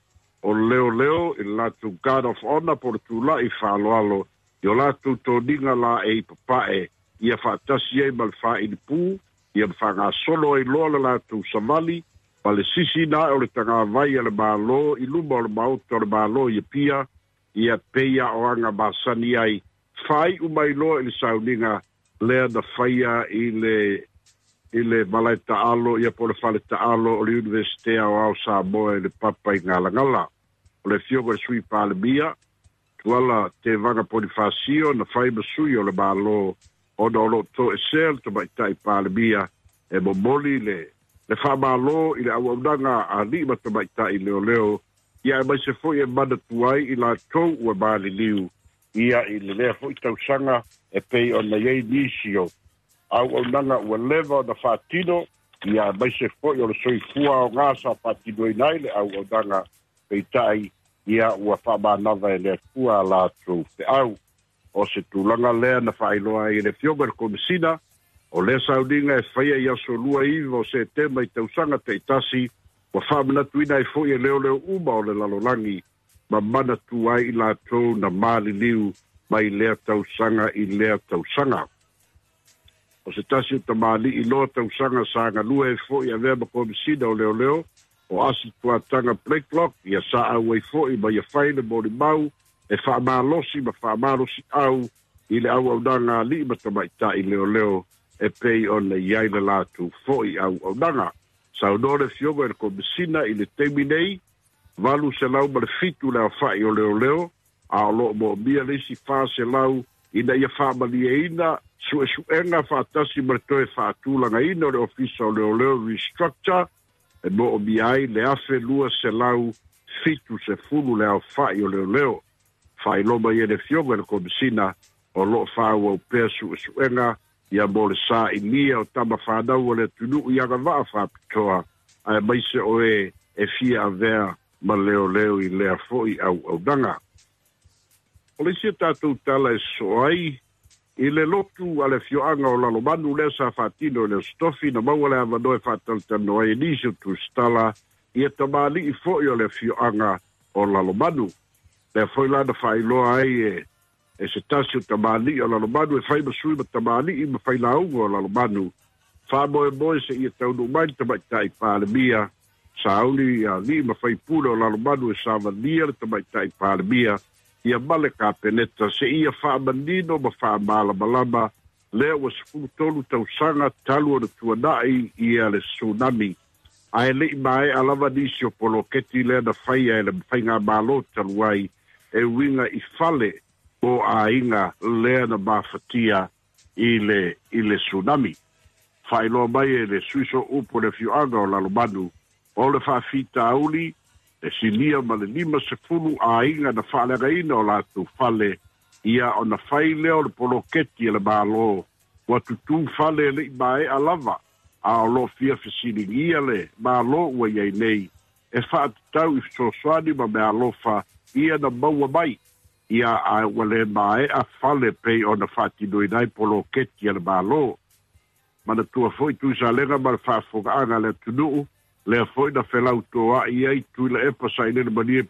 o leoleo i le latou Guard of Honour po o le tula'i faaaloalo i o latou toniga laei papae ia faatasi ai ma le faailipū ia ma faagasolo ai loa le latou savali ma le sisiina ae o le tagavai a le Malo i luma o le Maota o le Malo i Apia, ia pei a o aga masani ai, faai'u mai loa i le sauniga lea na faia i le i le malae taalo ia po o le fale taalo o le Iunivesite Aoao Samoa i le Papa i Galagala. O le afioga i le Sui Palemia, Tuala Tevaga Ponifasio, na fai ma sui o le Malo ona o lo o toesea le Tamaitai Palemia e momoli le le faamalo i le auaunaga a alii ma tamaitai leoleo, ia aemaise foi e manatua ai i latou ua maliliu ia i le lea foi tausaga e pei ona i ai nisi o auaunaga ua leva ona faatino, ia aemaise foi o le soifua aoga sa faatinoina ai le auaunaga, peitai ia ua faamanava e le Atua a latou feau. O se tulaga lea na faailoa ai e le Afioga i le Komesina, o lea sauniga e faia i aso 29 o Setema i tausaga taitasi, ua faamanatuina ai foi e leoleo uma o le lalolagi ma manatua ai i latou na maliliu mai lea tausaga i lea tausaga. O se tasi o tamalii loa tausaga sa galue ai foi avea ma Komesina o Leoleo, o Asi Tuataga Blakelock, ia sa auai foi ma ia fai le molimau e faamalosi ma faamalosiau i le auaunaga a alii ma tamaitai leoleo e pei ona i ai le latou foi auaunaga. Saunoa le Afioga i le Komesina i le taimi nei, 807 le aofai o leoleo, a o lo o moomia le isi 400 ina ia faamalieina suesuega faatasi ma le toe faatulagaina o le Ofisa o Leoleo, restructure, e moomia ai le 1270 le aofai o leoleo. Faailoa mai e le Afioga i le Komesina o lo o faaauau pea suesuega ia mo le sailia o tama fanau o le atunuu i agavaa faapitoa, aemaise o e e fia avea ma leoleo i lea foi auaunaga. O le isi a tatou tala e sosoo ai i le lotu a le afioaga o Lalomanu lea sa faatino i le Aso Tofi, na maua le avanoa e faatalatalanoa ai e nisi o tusitala ia tamalii foi o le afioaga o Lalomanu. Lea foi la na faailoa ai e e se tasi o tamalii o Lalomanu e fai ma sui ma tamalii ma failauga o Lalomanu, faamoemoe seia taunuu mai le Tamaitai Palemia, sauni alii ma faipule o Lalomanu e savalia le Tamaitai Palemia ia ma le Kapeneta seia faamanino ma faamalamalama lea ua 13 tausaga talu ona tuanai ia le tsunami, ae le i maea lava nisi o poloketi lea na faia e le Faigamalo talu ai e uiga i fale mo aiga lea na mafatia i le i le tsunami. Faailoa mai e le Sui Sooupu o le afioaga o Lalomanu, o le faafitauli e silia ma le 50 aiga na faaleagaina o latou fale, ia ona fai lea o le poloketi a le Malo ua tutū fale e le i maea lava, a o lo o fia fesiligia le Malo ua i ai nei e faatatau i fesoasoani ma meaalofa ia na maua mai ia ae ua le maea fale pei ona faatinoina ai poloketi a le Malo. Manatua foi Tuisalega ma le faafofogaaga a le atunuu, lea foi na felautoa'i ai Tuilaepa Sailele Malie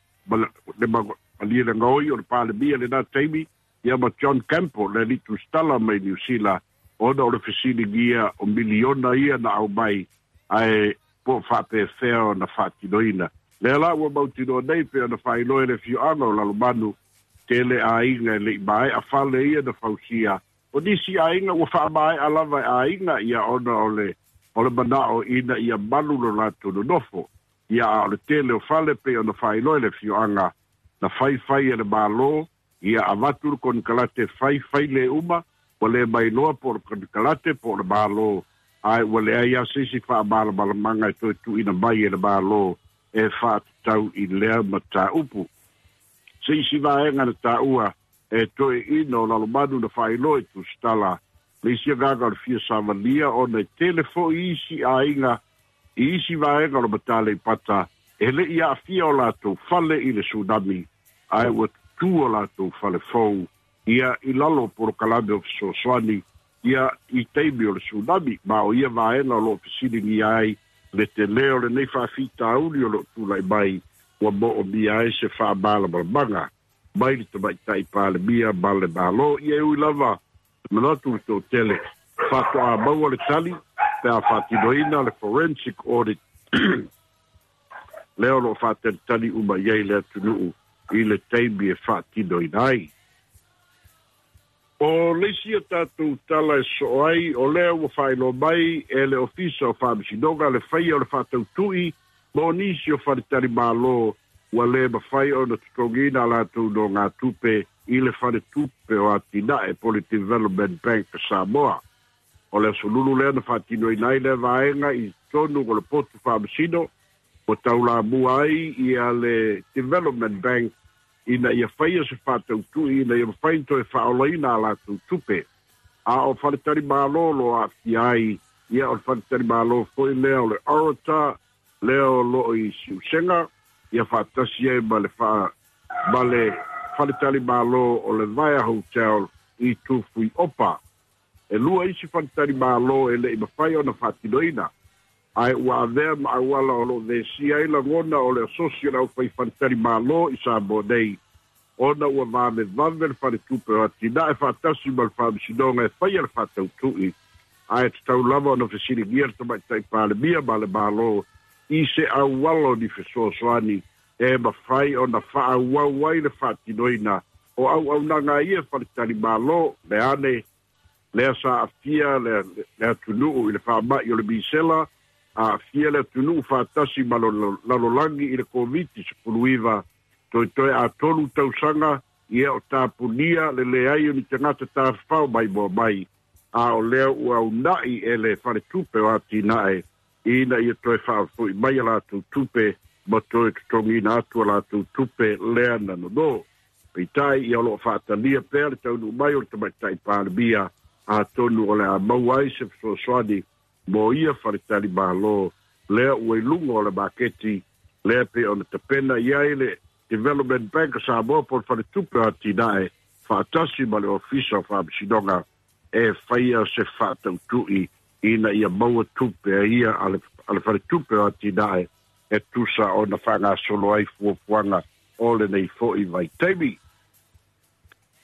le Malielegaoi o le Palemia i lena taimi, ia ma John Campbell le alii tusitala mai Niu Sila, ona o le fesiligia o miliona ia na aumai ae Po o faapefea ona faatinoina. Lea la ua mautinoa nei pe ona faailoa e le afioaga o Lalomanu tele aiga e le'i mae'a fale ia na fausia. O nisi aiga ua faamae'a lava e aiga ia ona o le o le mana'o ina ia malu lo latou nonofo. Ia a o le tele o fale pei ona faailoa e le afioaga na faifai e le Mālō, ia avatu le konekarate faifai le uma, ua le mailoa po o le konekarate po o le Mālō, ae ua leai lava se isi faamalamalamaga e toe tuuina mai e le Mālō e faatatau i lea mataupu. Se isi vaega na taua e toeaina o Lalomanu na faailoa i Tusitala, le isi agaga o le fia savalia ona e tele foi isi aiga i isi vaega o le Mataleipata e le i aafia o latou fale i le tsunami, ae ua tutū o latou fale fou ia i lalo o polokalame o fesoasoani ia i taimi o le tsunami. Ma o ia vaega o lo o fesiligia ai le telē o lenei faafitauli o lo o tulai mai ua moomia ai se faamalamalamaga mai le Tamaitai Palemia ma le Malo. Ia e ui lava te manatu le toatele faatoa maua le tali pe a faatinoina le forensic audit lea o lo o faatalitali uma i ai le atunuu i le taimi e faatinoina ai. O le isi a tatou tala e sosoo ai, o lea ua faailoa mai e le Ofisa o Faamasinoga le faia o le faatautu'i mo nisi o faletalimalo ua le mafai ona totogiina a latou nogatupe i le Faletupe o Atinae po o le Development Bank a Samoa. O le aso Lulu lea na faatinoina ai lea vaega i totonu o le potu faamasino ua taulamua ai ia le Development Bank ina ia faia se faatautu'i ina ia mafai ona toe faaolaina a latou tupe. A o faletalimalo o lo o aafia ai, ia o le faletalimalo foi lea o le Orator lea o lo o i Siusega, ia faatasi ai ma le faa ma le faletalimalo o le Vaea Hotel i Tufuiopa. E lua isi faletalimalo e le i mafai ona faatinoina, ae ua avea ma auala o lo o vesia ai lagona o le asosi o le aufai faletalimalo i Samoa nei, ona ua vavevave le Faletupe o Atinae faatasi ma le Faamasinoga e faia le faatautu'i, ae tatau lava ona fesiligia le Tamaitai Palemia ma le Malo i se auala o ni fesoasoani e mafai ona faaauau ai le faatinoina o auaunaga a ia faletalimalo. Leane lea sa aafia le atunuu i le faama'i o le misela, aafia le atunuu faatasi ma le lalolagi i le Koviti-19, toetoe a 3 tausaga ia o tapunia le leai o ni tagata tafafao maimoa mai, a o lea ua una'i e le Faletupe o Atinae ina ia toe faafo'i mai a latou tupe ma toe totogiina atu a latou tupe lea na nonō. Peitai, ia o lo o faatalia pea le taunuu mai o le Tamaitai Palemia, atonu o le a maua ai se fesoasoani mo ia faletalimalo lea ua i luga o le maketi lea pei ona tapena i ai le Development Bank a Samoa po o le Faletupe o Atinae faatasi ma le Ofisa o Faamasinoga e faia se faatautu'i ina ia maua tupe a ia a le Faletupe o Atinae e tusa ona faagasolo ai fuafuaga o lenei foi vaitaimi.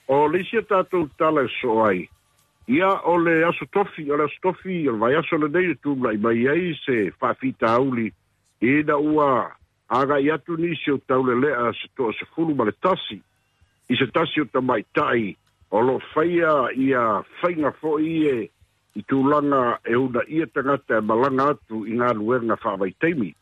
O le isi a tatou tala e sosoo ai, ia o le Aso Tofi, o le Aso Tofi o le vaiaso lenei e tulai mai ai se faafitauli ina ua agai atu nisi o taulelea se 11 i se tasi o tamaitai o lo o faia ia faiga foi e i tulaga e uunaia tagata e malaga atu i galuega faavaitaimi.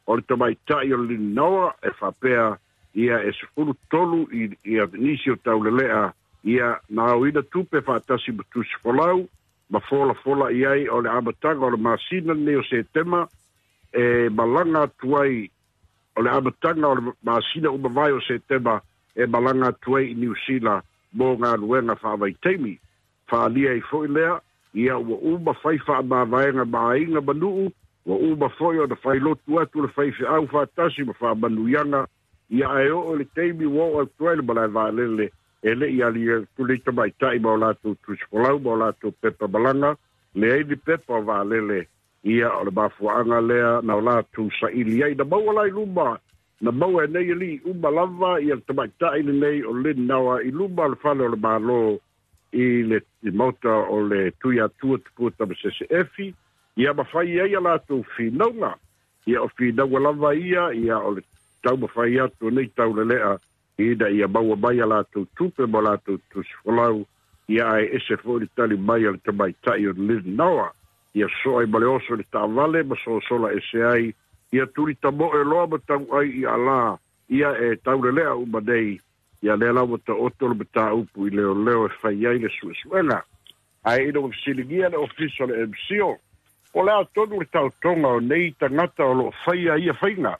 O le tamaitai o le Lilinoa e faapea ia e 13 i ia nisi o taulelea ia na aoina tupe faatasi ma tusi folau ma folafola i ai o le amataga o le masina lenei o Setema e malaga atu ai, o le amataga o le masina uma vae o Setema e malaga atu ai i Niu Sila mo galuega faavaitaimi. Faaalia ai foi lea, ia ua uma fai faamavaega ma aiga ma nuu, ua uma foi ona failotu atu le faifeau faatasi ma faamanuiaga, ia ae oo i le taimi ua oo atu ai le malae vaalele e le i ali atu nei tamaitai ma o latou tusifolau ma o latou pepa malaga, leai ni pepa o vaalele, ia o le mafuaaga lea na o latou saili ai. Na maua la i luma, na maua e nei alii uma lava ia le tamaitai lenei o Lynn Nawa i luma o le fale o le Malo i le maota o le Tuiatua Tupua Tamasese Efi, ia ma fai ai a latou finauga. Ia o finaua lava ia, ia o le taumafai atu o nei taulelea ina ia maua mai a latou tupe ma latou tusifolau, ia ae ese foi le tali mai a le tamaitai o Lynn Noa. Ia soa ai ma le oso i le taavale ma sosola ese ai, ia tuli tamoe loa ma tauai i alā, ia e taulelea uma nei, ia lea la ua taoto le mataupu i leoleo e fai ai le suesuega. Ae ina ua fesiligia le ofisa o le MCIL, po o le a tonu le taotoga o nei tagata o lo o faia ia faiga,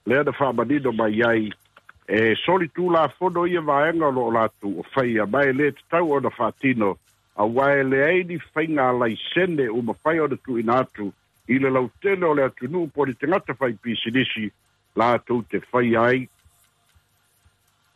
lea na faamanino mai ai, e solitulafono ia vaega o lo o latou o faia, ma e lē tatau ona faatino, auā e leai ni faiga laisene ua mafai ona tuuina atu i le lautele o le atunuu po o ni tagata faipisinisi latou te faia ai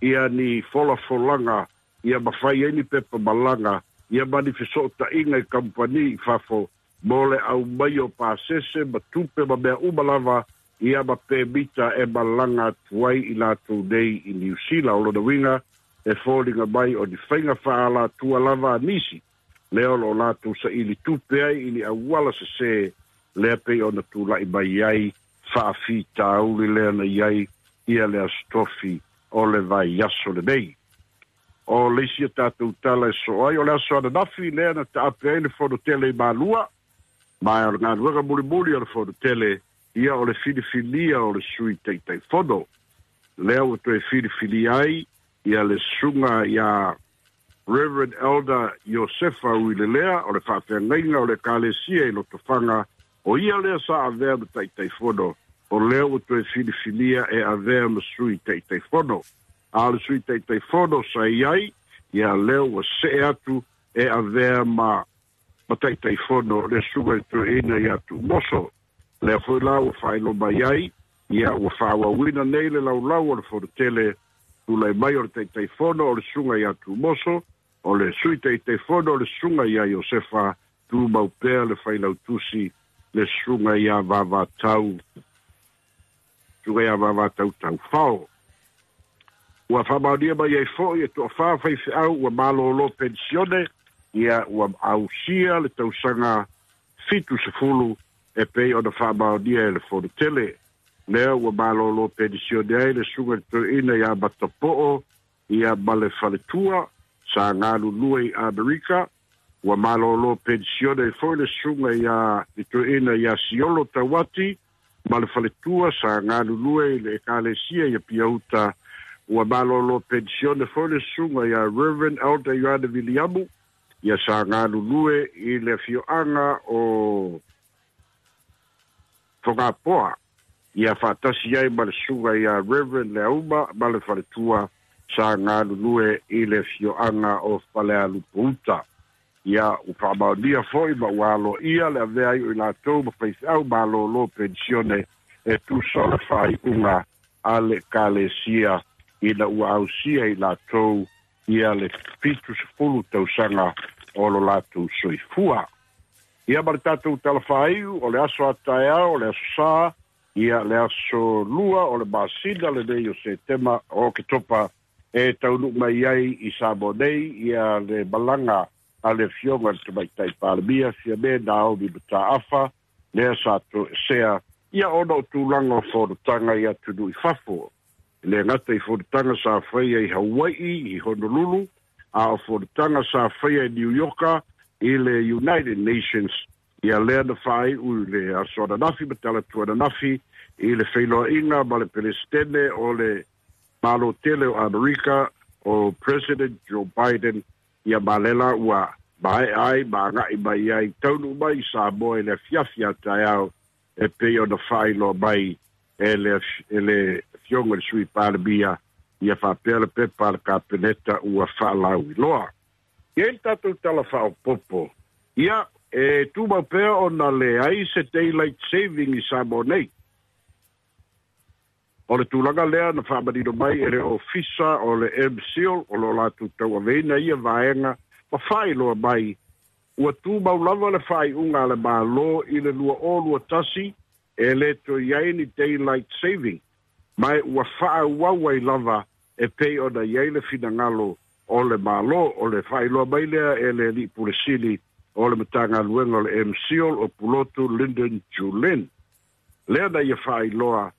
ia ni folafolaga, ia mafai ai ni pepa malaga, ia ma ni fesootaiga i kamupani i fafo mo le aumai o pasese ma tupe ma mea uma lava, ia ma pemita e malaga atu ai i latou nei i Niu Sila. O lona uiga e foliga mai o ni faiga faaalatua lava a nisi lea o loo latou saili tupe ai i ni auala sesē lea pei ona tula'i mai ai faafitauli lea na i ai ia le Aso Tofi o le vaiaso lenei. O le isi a tatou tala e soo ai, o le aso ananafi lea na taape ai le fono tele i Malua, ma o le galuega mulimuli o le fono tele ia o le filifilia o le sui taitaifono. Lea ua toe filifilia ai ia le susuga iā Reverend Elder Iosefa Uilelea o le faafeagaiga o le Ekalesia i Lotofaga, o ia lea sa avea ma taitaifono, o lea ua toe filifilia e avea ma sui taitaifono. A o le sui taitaifono sa i ai, ia lea ua see atu e avea ma ma taitaifono le susuga i le toeaina ia Tuumoso. Lea foi la ua faailoa mai ai, ia ua faaauauina nei le laulau o le Fono Tele, tulai mai o le Taitaifono o le susuga ia Tuumoso, o le Sui Taitaifono o le susuga ia Iosefa, tumau pea le Failautusi le susuga ia Vavatau, susuga ia Vavatau Taufao. Ua faamaonia mai ai foi e toafā faifeau ua malōlō penisione, ia ua ausia le tausaga 70 e pei ona faamaonia e le Fono Tele. Lea ua malōlō penisione ai le susuga i le toeaina ia Matapoo ia ma le faletua sa galulue i Amerika. Ua malōlō penisione ai foi le susuga ia le toeaina ia Siolo Tauati ma le faletua sa galulue i le Ekalesia i Apia Uta. Ua malōlō penisione foi le susuga ia Reverend Elder Ioane Viliamu ia sa galulue i le afioaga o Fogapoa, ia faatasi ai ma le susuga ia Reverend Leauma ma le faletua sa galulue i le afioaga o Falealupouta. Ia ua faamaonia foi ma ua aloaia le avea ai o i latou ma faifeau malōlō penisione e tusa o le faaiuga a le Ekalesia ina ua ausia i latou ia le 70 tausaga o lo latou soifua. Ia ma le tatou tala faaiu, o le aso a taeao, o le aso Sā, ia le aso 2 o le masina lenei o Setema o Oketopa e taunuu mai ai i Samoa nei ia le malaga a le Afioga i le Tamaitai Palemia Fiame Naomi Mataafa, lea sa toesea ia ona o tulaga o fonotaga i atunuu i fafo. E le gata i fonotaga sa faia i Hawai'i i Honolulu, a o fonotaga sa faia i Niu Ioka i le United Nations, ia lea na faai'u i le aso ananafi ma talaatu ananafi i le feiloaiga ma le Peresetene o le Malo Tele o Amerika, o President Joe Biden, ia ma lea la ua mae'a ai ma aga'i mai ai taunuu mai i Samoa i le afiafi a taeao e pei ona faailoa mai e le e le Afioga i le Sui Palemia, ia faapea le pepa a le Kapeneta ua faalauiloa. E i ai le tatou tala faaopoopo, ia e tumau pea ona leai se daylight saving i Samoa nei. O le tulaga lea na faamanino mai e le Ofisa o le MCIL o lo o latou tauaveina ia vaega ma faailoa mai ua tumau lava le faaiuga a le Malo i le 2021 e le toe i ai ni daylight saving, ma ua faaauau ai lava e pei ona i ai le finagalo o le Malo. O le faailoa mai lea e le Alii Pule Sili o le Matagaluega o le MCIL o Pulotu Lyndon Julian. Lea na ia faailoa.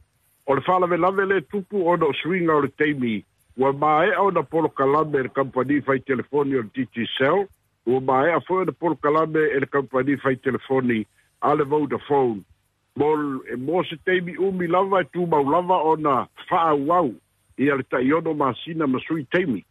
O le faalavelave lea e tupu ona o suiga o le taimi, ua maea ona polokalame e le kamupani fai telefoni o le Digicel, ua maea foi ona polokalame e le kamupani fai telefoni a le Vodafone. Mo, mo se taimi umi lava e tumau lava ona faaauau ia le 16 masina ma sui taimi.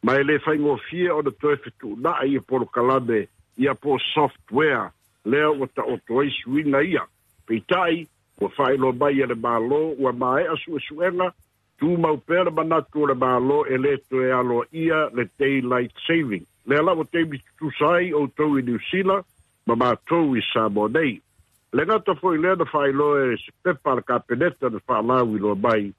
Ma e le faigofie ona toe fetuunai ia polokalame ia po software lea ua taoto ai suiga ia. Peitai, ua faailoa mai e le Malo ua maea suesuega, tumau pea le manatu o le Malo e le toe aloaia le daylight saving. Lea la ua taimi tutusa ai outou i Niu Sila ma matou i Samoa nei. Le gata foi lea na faailoa e se pepa a le Kapeneta na faalauiloa mai,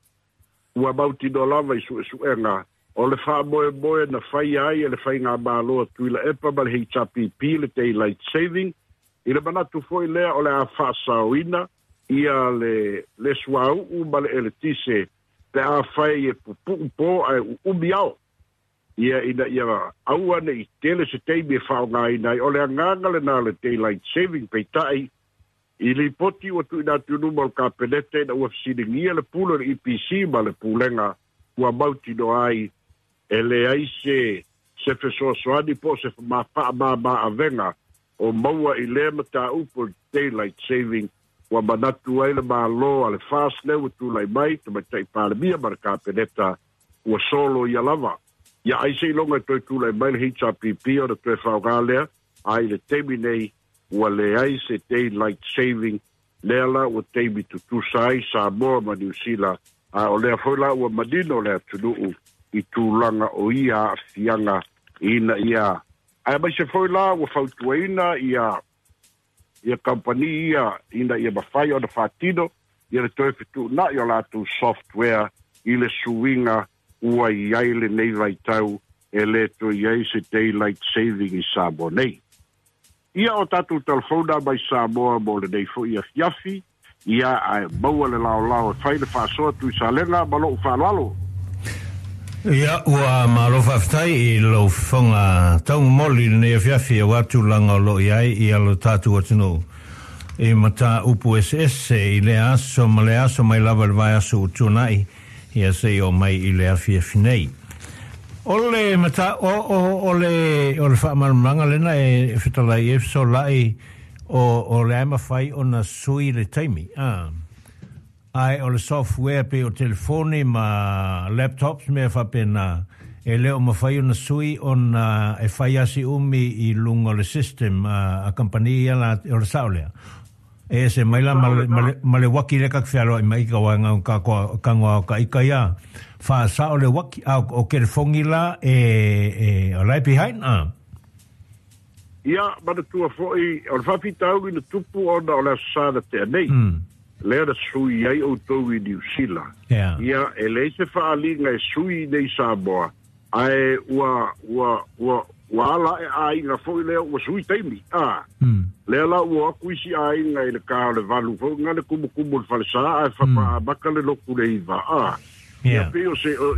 ua mautinoa lava i suesuega o le faamoemoe na faia ai e le Faigamalo a Tuilaepa ma le HRPP le daylight saving, i le manatu foi lea o le a faasaoina ia le le suauu ma le eletise pe afai e pupuu po ae uumi ao. Ia ina ia aua nei tele se taimi e faaaogaina ai. O le agaga lena o le daylight saving, peitai i lipoti ua tuuina atu i luma o le Kapeneta ina ua fesiligia le pule o le EPC ma le Pulega ua mautinoa ai e leai se se fesoasoani po o se faamama-avega o maua i lea mataupu o le daylight saving ua manatu ai le Malo a le FAST lea ua tulai mai, Tamaitai Palemia ma le Kapeneta ua solo ia lava. Ia ai seiloga e toe tulai mai le HRPP ona toe faaaoga lea, a i le taimi nei ua leai se daylight saving, lea la ua taimi tutusa ai Samoa ma Niu Sila, a o lea foi la ua manino le atunuu i tulaga o ia aafiaga ina ia aemaise foi la ua fautuaina ia ia kamupani ia ina ia mafai ona faatino ia le toe fetuunai o latou software i le suiga ua i ai lenei vaitau e le toe i ai se daylight saving i Samoa nei. Ia o tatou telefona mai Samoa mo lenei foi afiafi, ia ae maua le laolao e fai le faasoa Tuisalega ma lou faaaloalo. Ia, ua malo faafetai i lou fofoga taumomoli i lenei afiafi aua tulaga o lo o i ai ia lo tatou atunuu i mataupu eseese i lea aso ma lea aso mai lava i le vaiaso ua tuanai ia seia oo mai i le afiafi nei. O le mata, o, o, o le, o le faamalamalamaga lena e fetalai e fesolai o, o le a e mafai ona sui le taimi, a. Ae o le software pei o telefoni ma laptops mea faapena, e le o mafai ona sui ona e fai lava si umi i luga o le system a, a kamupani ia la, o le sao lea. E ese mai la ma le, ma le, ma le uaki lea ka te fealoai mai i ka waenga o ka koa, ka ngoa o ka ika ia. Faasao le uaki, a o, o kelefongi la e, e, o la e behind, a. Ia, manatua foi, o le faafitauli na tupu ona o le Aso Sa na tea nei, lea na sui ai outou i Niu Sila. Ia, e leai se faaaliga e sui i nei Samoa, ae ua, ua, ua, ua ala ae aiga foi lea ua sui taimi, a. Lea la ua o atu isi aiga i le ta o le 8 foi na le kumukumu i le falesa ae faatoa amata le lotu le 9, a. Ia, pei o se, o,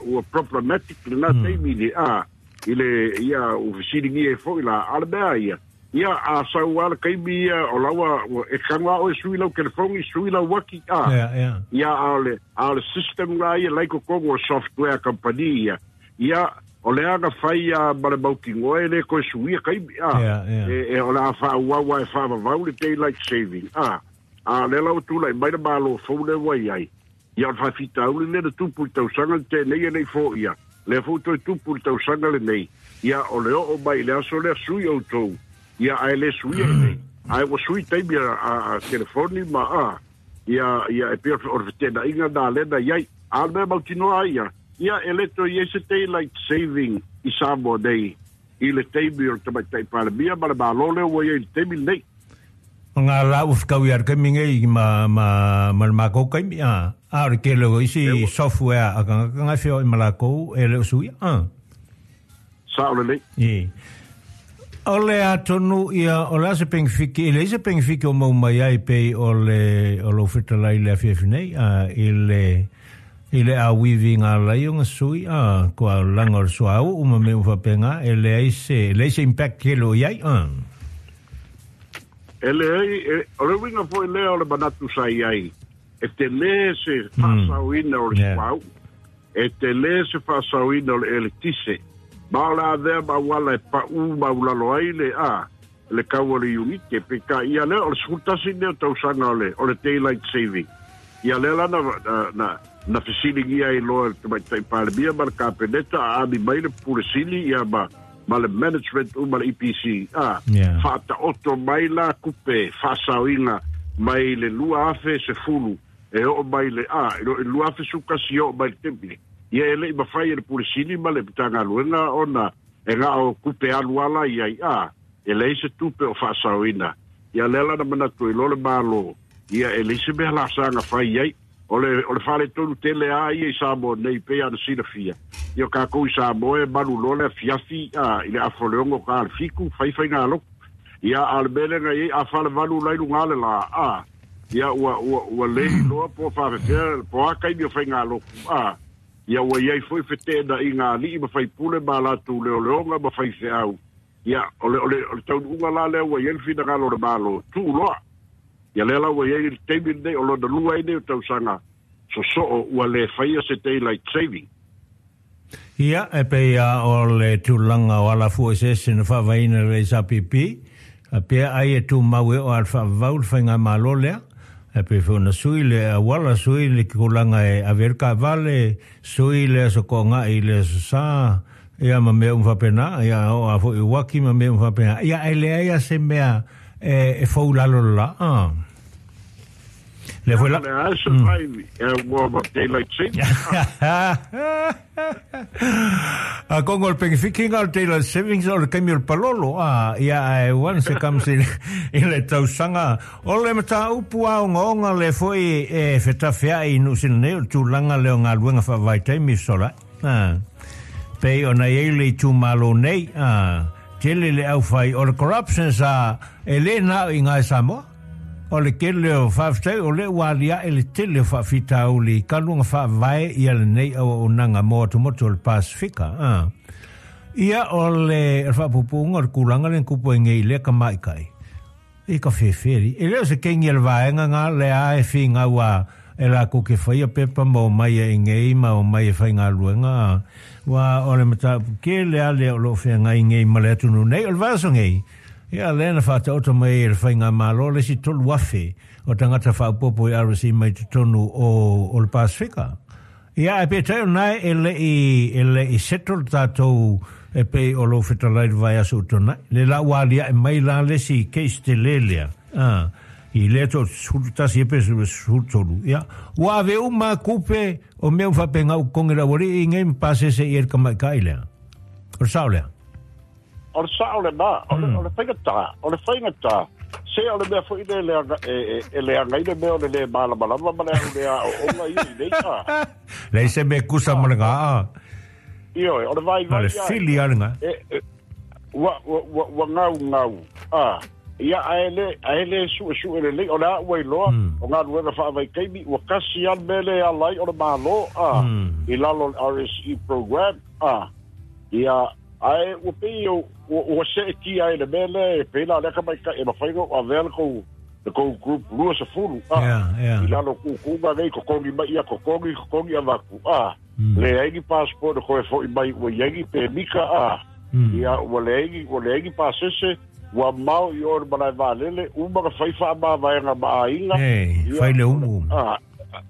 ua problematic lena taimi le, a, i le, ia, ua fesiligia ai foi la, a o le mea ia, ia, a sau lava le taimi ia, o la ua, e tago lava oe sui lau telefoni, sui lau uaki, a. Ia, a o le, a o le system la ia la i totonu o le software company ia, ia, o le aga fai a ma le mautinoa e le toe suia taimi, a. E, e, o le a faaauau lava e faavavau le daylight saving, a. A o lea la ua tulai mai le Malo fou lea ua i ai, ia o le faafitauli lea na tupu i le tausaga na tea nei e le i foia, lea foi ua toe tupu i le tausaga lenei, ia o le oo mai i le aso lea sui outou, ia ae le suia i nei. Ae ua sui taimi a, a, a telefoni ma a, ia, ia e pei o le feteenaiga na lea na i ai. A o le mea mautinoa ai ia, ia e le toe i ai se daylight saving i Samoa nei i le taimi o le Tamaitai Palemia ma le Malo lea ua i ai i le taimi lenei. O ngā la ua whakau i ar kaimi ngei ma, ma, ma le mākou kaimi, a, a o le tele o isi software a kanga kanga e whio i ma lākou e le o suia, a. Sao lelei. I. O le atonu ia, o le a se pengifiki, e leai se pengifiki o mau mai ai pei o le, o lou fetalai i le afiafi nei, a, i le, i le auivi i ngā lai o nga sui, a, kua langa o le suauu ma mea uma faapena, e leai se, leai se impact tele o i ai, a. E leai, o le uiga foi lea o le manatu sa i ai, e telē se faasaoina o le suauu, e telē se faasaoina o le eletise, ma o le avea ma auala e paʻū maulalo ai le a le kau o le iunite. Peitai ia lea o le 11 lea o tausaga o le o le daylight saving. Ia lea la na na na fesiligia ai loa e le Tamaitai Palemia ma le Kapeneta a ami mai le Pule Sili ia ma ma le management uma le EPC a faataoto mai la kupe faasaoina mai le 2010 e oo mai le a i le 2011 e oo mai le taimi ia e le'i mafai e le Pule Sili ma le Matagaluega ona e ga'o kupe alu ala i ai a e leai se tupe o faasaoina. Ia lea la na manatu ai loa le Malo, ia e leai se mea la saga fai ai. O le, o le faaletonu tele a ia i Samoa nei, pei ona silafia. Ia o kākou i Samoa e malu loa le afiafi a, i le afa o le 6 ka le 7, fai faigalotu. Ia, a o le mea lea na i ai, a falevalu la i luga o le lā, a, ia ua, ua, ua le iloa po o faafefea, po o a taimi o faigalotu, a, ia ua i ai foi feteenaiga a alii ma faipule ma a latou leoleoga ma faifeau. Ia, o le, o le, o le taunuuga la lea ua i ai le finagalo o le Malo, tuu loa. Ia lea la ua i ai le taimi lenei, o lona lua ai nei o tausaga sosoo ua le faia se daylight saving. Ia, e pei a o le tulaga o alafua eseese na faavaeina e le SAPP, a pea ai e tumau e oo a le faavavau le faigamalo lea, e pei foi ona sui le auala, sui le tulaga e ave ai le taavale, sui le aso toaga'i i le aso Sa, ia ma mea uma faapena, ia oo a foi i uaki ma mea uma faapena, ia ae leai a se mea e fou i lalo le la, a. Lea foi la. Le a survive ua ma daylight saving. A kongo o le pengefikinga o le daylight savings o le taimi o le palolo, a, ia ae once it comes i, i le tausaga, o le mataupu a ogaoga lea foi e fetafea'i i Niu Sila nei o le tulaga lea o galuega faavaitaimi fesolai. A, pei ona i ai le itumalo nei, a, tele le aufai o le corruption sa e le na o i ngā Samoa. O le tele o faafetai o lea ua aliae le tele o faafitauli i kaluga faavae ia lenei auaunaga mo atumotu o le Pasefika. A, ia o le faapupuuga o le tulaga lea na tupu ai nei i lea tamaitai. I ka whewheri. E le o se kengi a le vaega ngā le a e whingau a e lākou ke whaia pepa ma o mai e ngei ma o mai e whai ngā luenga a. Wā o le mataupu ke le a le o lo whengai ngei ma le atunu nei o le vaaso ngei. Ia lea na whaataoto mai e le whai ngā malo le si 3,000 o tangata whaopopo i RSE mai totonu o, o le Pasifika. Ia, ae peitai o nae e le'i, e le'i settle tatou e pei o lou fetalai le vaiaso ua tuanai. Le la ua aliae mai la le isi case tele lea, a, i lea to 11 e pe 13, ia, ua ave uma kupe o mea uma faapena u totogi le aualii i nei ma pasese i ai le tamaitai lea. O le sao lea? O le sao lena, o le, o le faigata, o le faigata, se o le mea foi lea e leaga, e, e, e leaga ai le mea o le lē malamalama ma le au le aoaoga ia i nei a. Leai se mea kusa ma le gaa. Ioe, o le vaivai O le fili a le ga. E, e, ua, ua, ua, ua gaugau, a. Ia, ae le, ae le suesue lelei, o le a ua iloa, o galuega faavaitaimi, ua kasi lava le mea lea e ala ai o le Malo, a, i lalo o le RSE program, a. Ia, Ae ua pei ua, ua seetia ai le mea lea e pei la o lea tamaitai e mafai ona ou avea le tou, le tou group 20, a, Yeah, yeah. i lalo o kukuga nei, totogi mai ia totogi, totogi avatu, a, leai ni passport e toe foi mai ua i ai ni pemita, a, ia ua leai ni, ua leai ni pasese, ua mao i o i le malae vaalele, uma na fai faamavaega ma aiga, Hey, ia, fai le umu. a,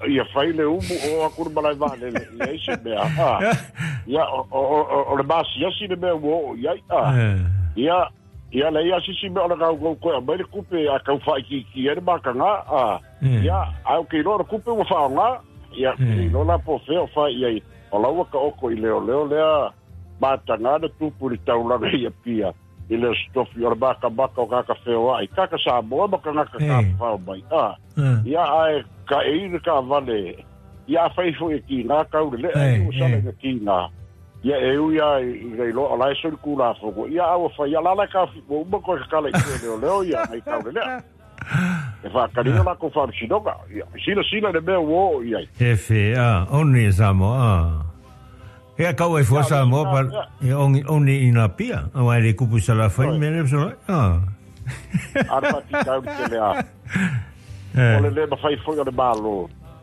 ia fai le umu o atu le malae vaalele, leai se mea, a, ia, o, o, o, o le masiasi le mea ua oo i ai, a, ia, ia leai a sisi mea o le gaugau koe aumai le kupe a tau faaitiitia ai le mataga, a, ia, ae ou te iloa o le kupe ua faaaoga, ia, ou te iloa la po o fea o fai i ai, o la ua taoto i leoleo lea mataga na tupu i le taulaga i Apia, i le Aso Tofi o le makamaka o tagata feoai, tagata Samoa ma tagata tafafao mai, a, ia, ae kaʻei le taavale, ia afai foi e kīnā kau le lea, ua sala ina kīnā, ia e ui lava ina iloa o la e soli Tulafono, ia a ua fai, ia la la e kaofi, ua uma toe tatala i tua e leoleo ia nai kau le lea. E faataliina latou faamasinoga, ia, silasila i le mea ua oo i ai. E fe, a, oni e Samoa, a. Ia kau ai fua Samoa pa e ongi oni i nā pia, aua e le kupu i Salafai me le fesolai, a. A le faafitauli tele a. O le lē mafai fo'i o le mālō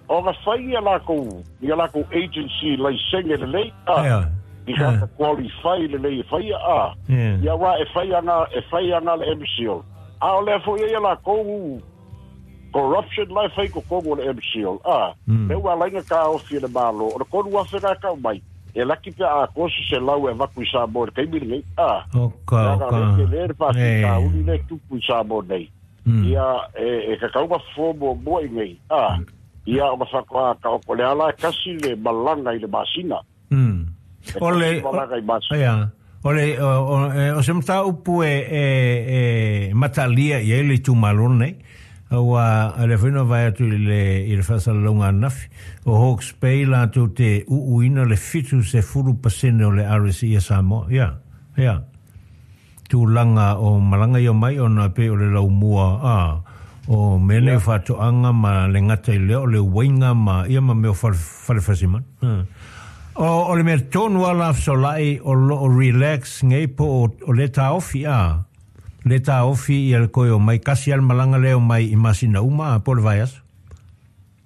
ona fai ia lakou ia lakou agency laisene lelei a i tagata qualify lelei e faia a. Ia uā e fai aga e fai aga le MCIL a o lea fo'i ai ia lakou corruption la e fai i totonu o le MCIL a. Lea ua ala ai ona taofi e le Malo o le 3,000 na e tau mai e laki pe a atoa se 100 e avatu i Samoa i le taimi lenei a. Leaga o lea e tele le faafitauli lea e tupu i Samoa nei. Ia e tatau ona fofo muamua i nei a. Ia ona faatoa taoto le ala e kasi le malaga i le masina. E O le kasi malaga i masina. Ia, o le o se mataupu e e e matalia i ai le itumalo lenei, aua o lea foi na vaai atu i le i le faasalalauga ananafi, o Hawke's Bay latou te uuina le 70% o le RSE a Samoa. Ia, ia. Tulaga o malaga ia mai ona e pei o le laumua a o mea nei o faatoaga ma le gata i lea o le uaiga ma ia ma mea o fale fale fasimanu. O o le mea tonu lava la fesolai o lo o relax nei po o o le taofi a le taofi ia le toe o mai kasi lava le malaga lea o mai i masina uma a po o le vaiaso.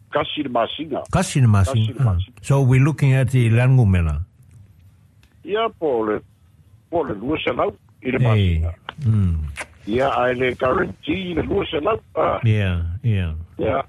Kasi le masina. Kasi le masina. So we looking at i le a le numera? Ia po o le po o le 200 i le masina. Ia, ae le guarantee le 200. Ah. Ia, ia. Ia.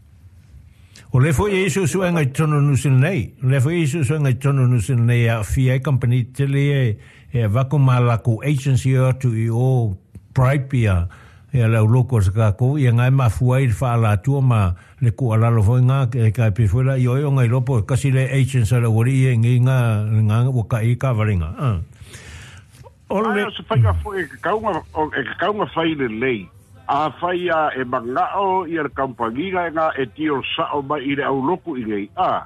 O lea foi e i ai suesuega i totonu o New Zealand nei. O lea foi e i ai suesuega i totonu o New Zealand nei e aafia ai kamupani tetele ia e avatu ma latou agency e o atu i o bribe ia ia le au locals a tatou ia na e mafua ai le faalatua ma le tuualalo foi na e tai pei foi la i oe ona iloa po o tasi le agents a le aualii ia i nei na na ua tai ai taavale na. O le. Ae o se faiga foi e tatau ona e tatau ona fai lelei. Afai a e manao ia le kamupani lena e deal sao mai i le au lotu i nei, a,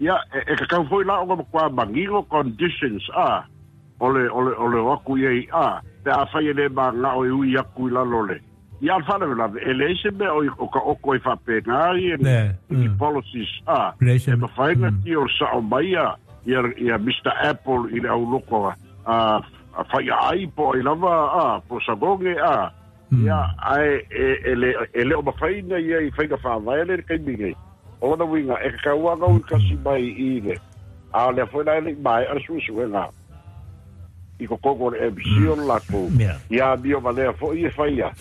ia, e tatau foi la ona matua manino conditions, a, o le, o le, o le o atu i ai, a, pe afai e le manao e ui atu i lalo o le, ia a le faalavelave, e leai se mea o, o ka oko ai faapena ia ni policies, a, e mafai ona deal sao mai ia, ia, ia Mister Apple i le au loko a, a Faiaai po o ai lava, a, po o Sagoge, a, ia, ae e, e, le, e le o mafai ona ia i faiga faavae le taimi nei. O lona uiga, e tatau lava ona ui mai i le, a o lea foi la e le i maea le suesuega i totonu o le MC o le latou, ia amio valea foi e faia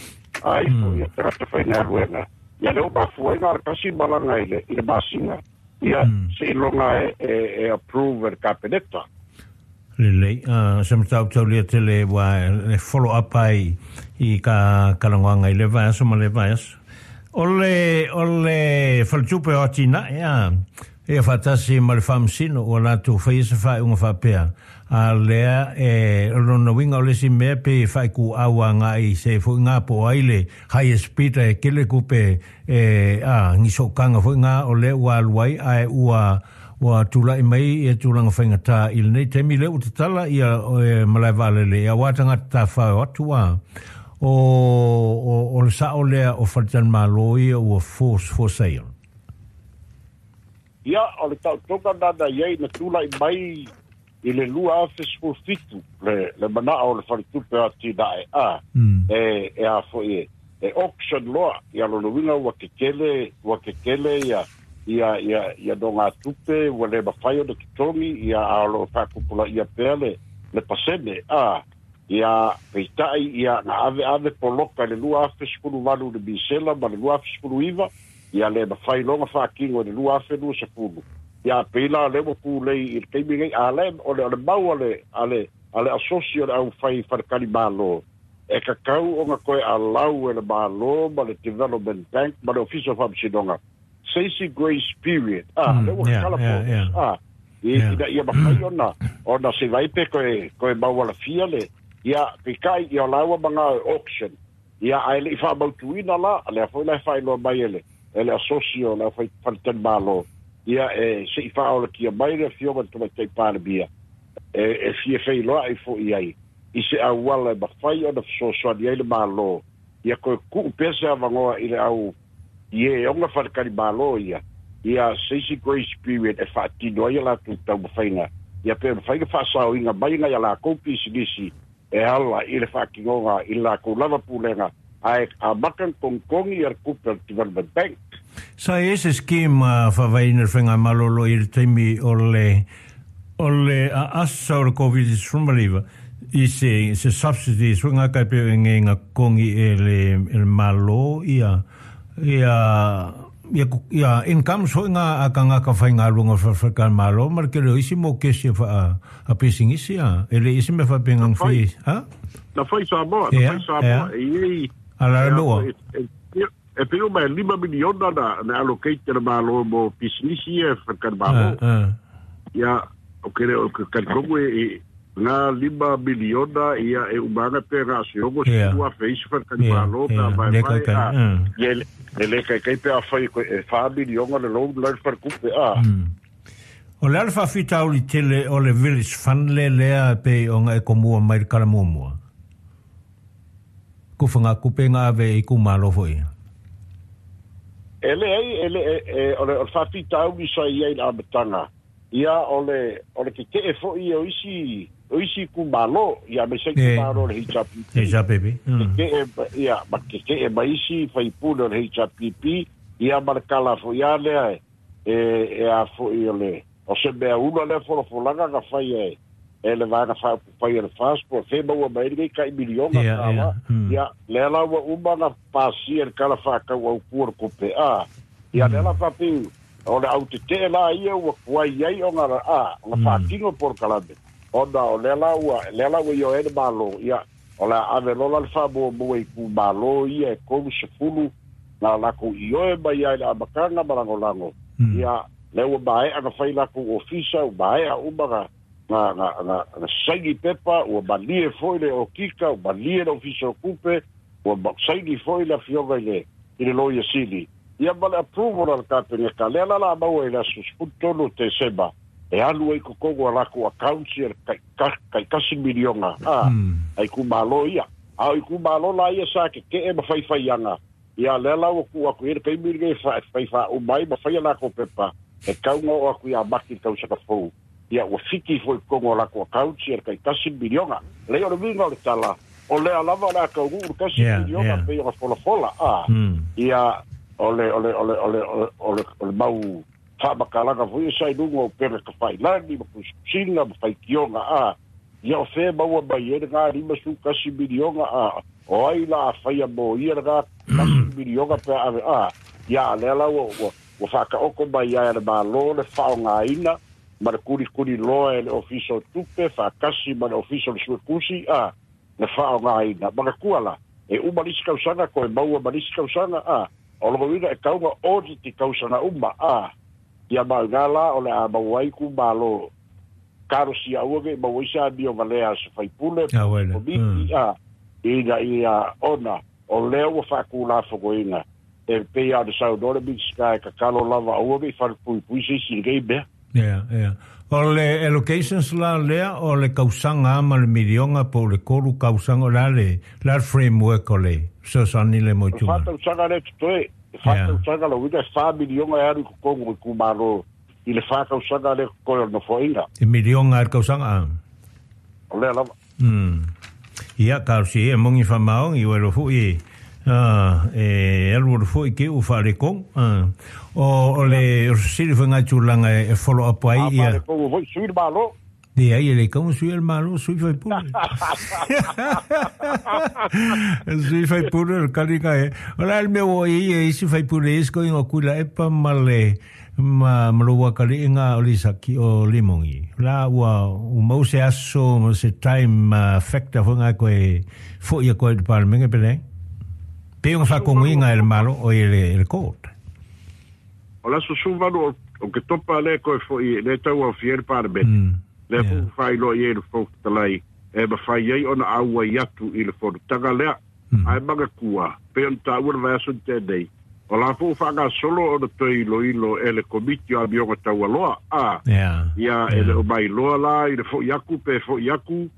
ai foi ia tagata faigaluega. Ia lea ua mafua ai na o le tasi malaga i le, i le masina, ia seiloga e, e, e approve e le Kapeneta. Lelei, se mataupu taulia tele ua e follow up ai i ka kalagoaga i lea vaiaso ma lea vaiaso. O le, o le faletupe o atinae, a, ia faatasi ma le Faamasino ua latou faia se faaiuga faapea, a lea e, o lona uiga o le isi mea pei e faaituau agai i se foi ngā po o ai le highest bidder e tele tupe e, a, ni sootaga foi ngā o lea ua alu ai ae ua, ua tulai mai ia tulaga faigata i lenei taimi lea ua tatala ia e, malae vaalele aua tagata tafafao atu a, o, o, o le sao lea o faletalimalo ia ua force for sale. Ia, o le taotoga lena na i ai na tulai mai i le 2017 le, le manao o le faletupe o atinae a, e, e a foi e, e auction loa, ia lona uiga ua tetele, ua tetele ia, ia, ia, ia nogatupe ua le mafai ona totogi, ia a o lo o faatupulaia pea le, le pasene a, ia peitai ia na aveave poloka i le 2018 i le Misela ma le 2019, ia le mafai loa ona faatino i le 2020. Ia pei la o lea ua pulei i le taimi nei, a le, o le, o le mau a le, a le, a le asosi o le aufai faletalimalo, e tatau ona toe allow e le Malo ma le Development Bank ma le Ofisa o Faamasinoga se isi grace period, a, lea ua tatala borders, a, ina ia mafai ona, ona se vai pe toe, toe maualafia le, ia, peitai, ia o la ua manao e auction, Ia, ae le i faamautuina la, lea foi la e faailoa mai e le, e le asosi o le aufai faletalimalo, ia, e se i faaolatia mai le Afioga i le Tamaitai Palemia, e, e fia feiloai foi ai i se auala e mafai ona fesoasoani ai le Malo, ia toe tuu pea se avanoa i le au i e ona faletalimalo ia, ia se isi grace period e faatino ai a latou taumafaiga, ia pe mafai ona faasaoina mai nai a latou pisinisi e ala i le faatinoga i le latou lava pulega Ae amata ona togitogi ia le tupe a le Development Bank. Sa i ai se scheme a faavaeina le faigamalolo i le taimi o le o le aasa o le Covid-19 i se se subsidy suiga kai pe e ngega kongi e le e le Malo ia ia ia ia incomes foi nga a kanga ka faigaluega o le Malo ma le tele o isi mo kesi a a pisinisi a e le isi me fa pengang fi ha na fai Samoa na fai Samoa e i ala loa e pei uma e 5 miliona na allocate e le Malo mo pisinisi ia e whakamalo. Ia, o ke o ke kalikongo e ngā 5 miliona ia e umanga pe ngā siogo yeah. ua fe isi whakamalo pe a vai vai a ia e le kai kai pe a whai e 4 miliona le loan lai whakakupe a. O le ala faafitauli tele o le Village Fund le lea pe o nga e komua mai le kala muamua. Kufa ngā kupe ngā ave i kumalo foi. E le ai, e le, e, o le, o le faafitauli sa i ai le amataga, ia o le, o le keke'e fo'i o isi, o isi itumalo, ia aemaise itumalo o le HRPP. HRPP. Keke'e, ia, ma keke'e ma isi faipule o le HRPP, ia ma le kala fo'i a lea e, e, e a fo'i o le, o se mea ula lea folafolaga na fai e, e le vaega faaupufai a le FAST po o fea maua mai ai lenei tai miliona tala, ia, lea la ua uma ona pasia le Tala Faatatau Autu o le Tupe, a, ia, lea la faapea, o le autetee la ia ua tuai ai ona, a, ona faatino polokalame, ona o lea la ua, lea la ua ioe ai le Malo, ia, o le a ave loa la le faamuamua i itumalo ia e 30 na latou ioe mai ai i le amataga ma lagolago, ia, lea ua maea ona fai latou ofisa, ua maea uma na na, na, na, na saini pepa, ua malie foi le okika, ua malie le ofisa o tupe, ua saini foi le afioga i le, i le Loia Sili. Ia ma le approval a le Kapeneta, lea la la maua i le aso 13 o Tesema, e alu ai totonu a latou accounts ia le tai 1 miliona, a, a itumalo ia. A o itumalo la ia sa tete'e ma faifaiaga, ia lea la ua tuu atu i ai le taimi lenei e fai faauma ai ma fai a latou pepa, e tau ona oo atu ia Mati i le tausaga fou. Ia ua fiki foi i totonu o latou accounts ia le tai 1 miliona. Leai o le uiga o le tala, o lea lava o le a taunuu le 1 miliona pei ona folafola, a, ia o le, o le, o le, o le, o le, o le mau faamatalaga foi ia sa i luga o upega tafailagi ma tusitusiga ma faitioga, a, ia o fea e maua mai ai lena 51 miliona, a, o ai la a faia mo ia lena 1 miliona pe a ave, a, ia a lea la ua, ua, ua faataoto mai ai e le Malo le faaaogaina ma le kulikuli loa e le Ofisa o Tupe faatasi ma le Ofisa o le Suetusi, a, le faaaogaina. Manatua la, e uma le isi tausaga toe maua ma le isi tausaga, a, o lona uiga e tatau ona audit i tausaga uma, a, ia ma o ina la o le a maua ai itumalo talosia aua ne i maua ai se amio valea a se faipule po o se komiti, a, ina ia ona o lea ua faatulafonoina e pei lava ona saunoa le Minisita e tatalo lava aua ne i falepuipui se isi i lenei mea. Ia, ia. O le allocations la lea o le kausaga ma le miliona po o le 3 kausaga, o le a le, le a le framework o le fesoasoani lea mo O le 4 tausaga lea e totoe, e 4 tausaga lona uiga e 4 miliona e alu i totonu o itumalo i le 4 tausaga lea e totoe o le Nofoaiga. E miliona i le kausaga a? O lea lava. Ia, talosia ia mongi faamaoni, ua iloa foi e alualu foi ke u faaletonu. O le fesili foi ngai tulaga e follow up ai ia. A faaletonu foi sui le Malo. Leai, e le kaua sui le Malo, sui faipule. Sui faipule o le kaliga e. O le a le mea ua i ai e isi faipule isi ko ingoa Tuilaepa ma le ma ma lou akaliʻiga o Lisaki o Limogi. La ua ua mau se aso ma se time factor foi ngai koe foʻi atu ai i le Palemene pe leai. Pei ona faakogoina e le Malo o i le, le court. O le aso 18 o Oketopa lea toe foʻi lea tau aofia ai le Palemene. Lea foi ua faailoa i ai le Fofoga Fetalai e mafai ai ona auai atu i le fonotaga lea. Ae manatua, pei ona taua le vaiaso na tea nei, o la foi ua faagasolo ona toe iloilo e le Komiti o Amioga Taualoa, a, ia e le o mailoa la i le foʻi atu pe foʻi atu,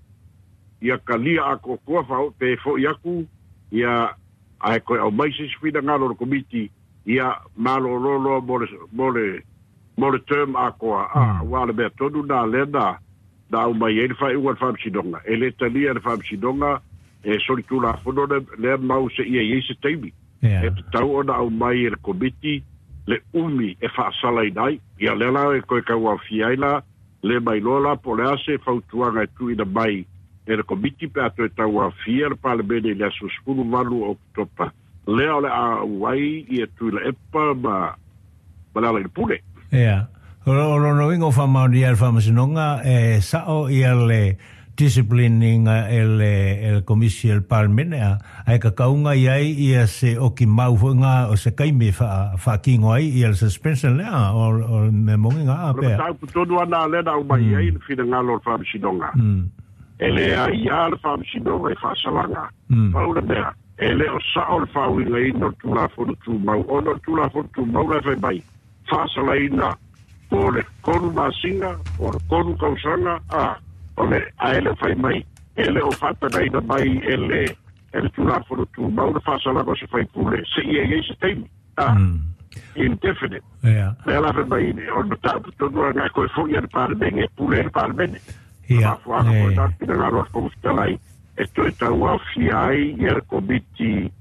ia talia atoatoa faaoo pe foʻi atu, ia ae toe aumai se isi finagalo o le Komiti, ia malolo loa mo le, mo le, mo le term atoa, a, aua o le mea tonu lena lea na, na aumai ai le faaiuga a le Faamasinoga. E le talia e le Faamasinoga e solitulafono lea mau seia i ai se taimi. E tatau ona aumai e le Komiti le umi e faasalaina ai. Ia lea la e toe tauaofia ai la, le mailoa la po o le a se fautuaga e tuuina mai e le Komiti pe a toe tauaofia le Palemene i le aso 18 o Oketopa, lea o le a auai ia Tuilaepa ma ma le Alailepule. Ia. O lona uiga ua faamaonia e le Faamasinoga e sao ia le discipline ina e le Komisi a le Palemene, a ae kakauga i ai ia se oki mau foi nga o se kaimi e faatino ai ia le suspension lea, o le mea moni nga a pea. O le mataupu tonu lava lea na aumai ai le finagalo o le Faamasinoga. E leai lava le Faamasinoga i faasalaga. Pau le mea, e le o sao le faauigaina o le Tulafono Tumau, ona o le Tulafono Tumau la e fai mai, faasalaina po o le 3 masina, po o le 3 tausaga, a, o le, ae le o fai mai, e le o faatagaina mai e le, e le Tulafono Tumau le faasalaga o se faipule seia i ai se taimi, a, indefinite. Lea la fai mai, o le mataupu tonu lena e toe foi i le Palemene, e pule ai le Palemene. Mafuaaga foi lena finagalo a le Fofoga Fetalai e toe tauaofia ai ia le Komiti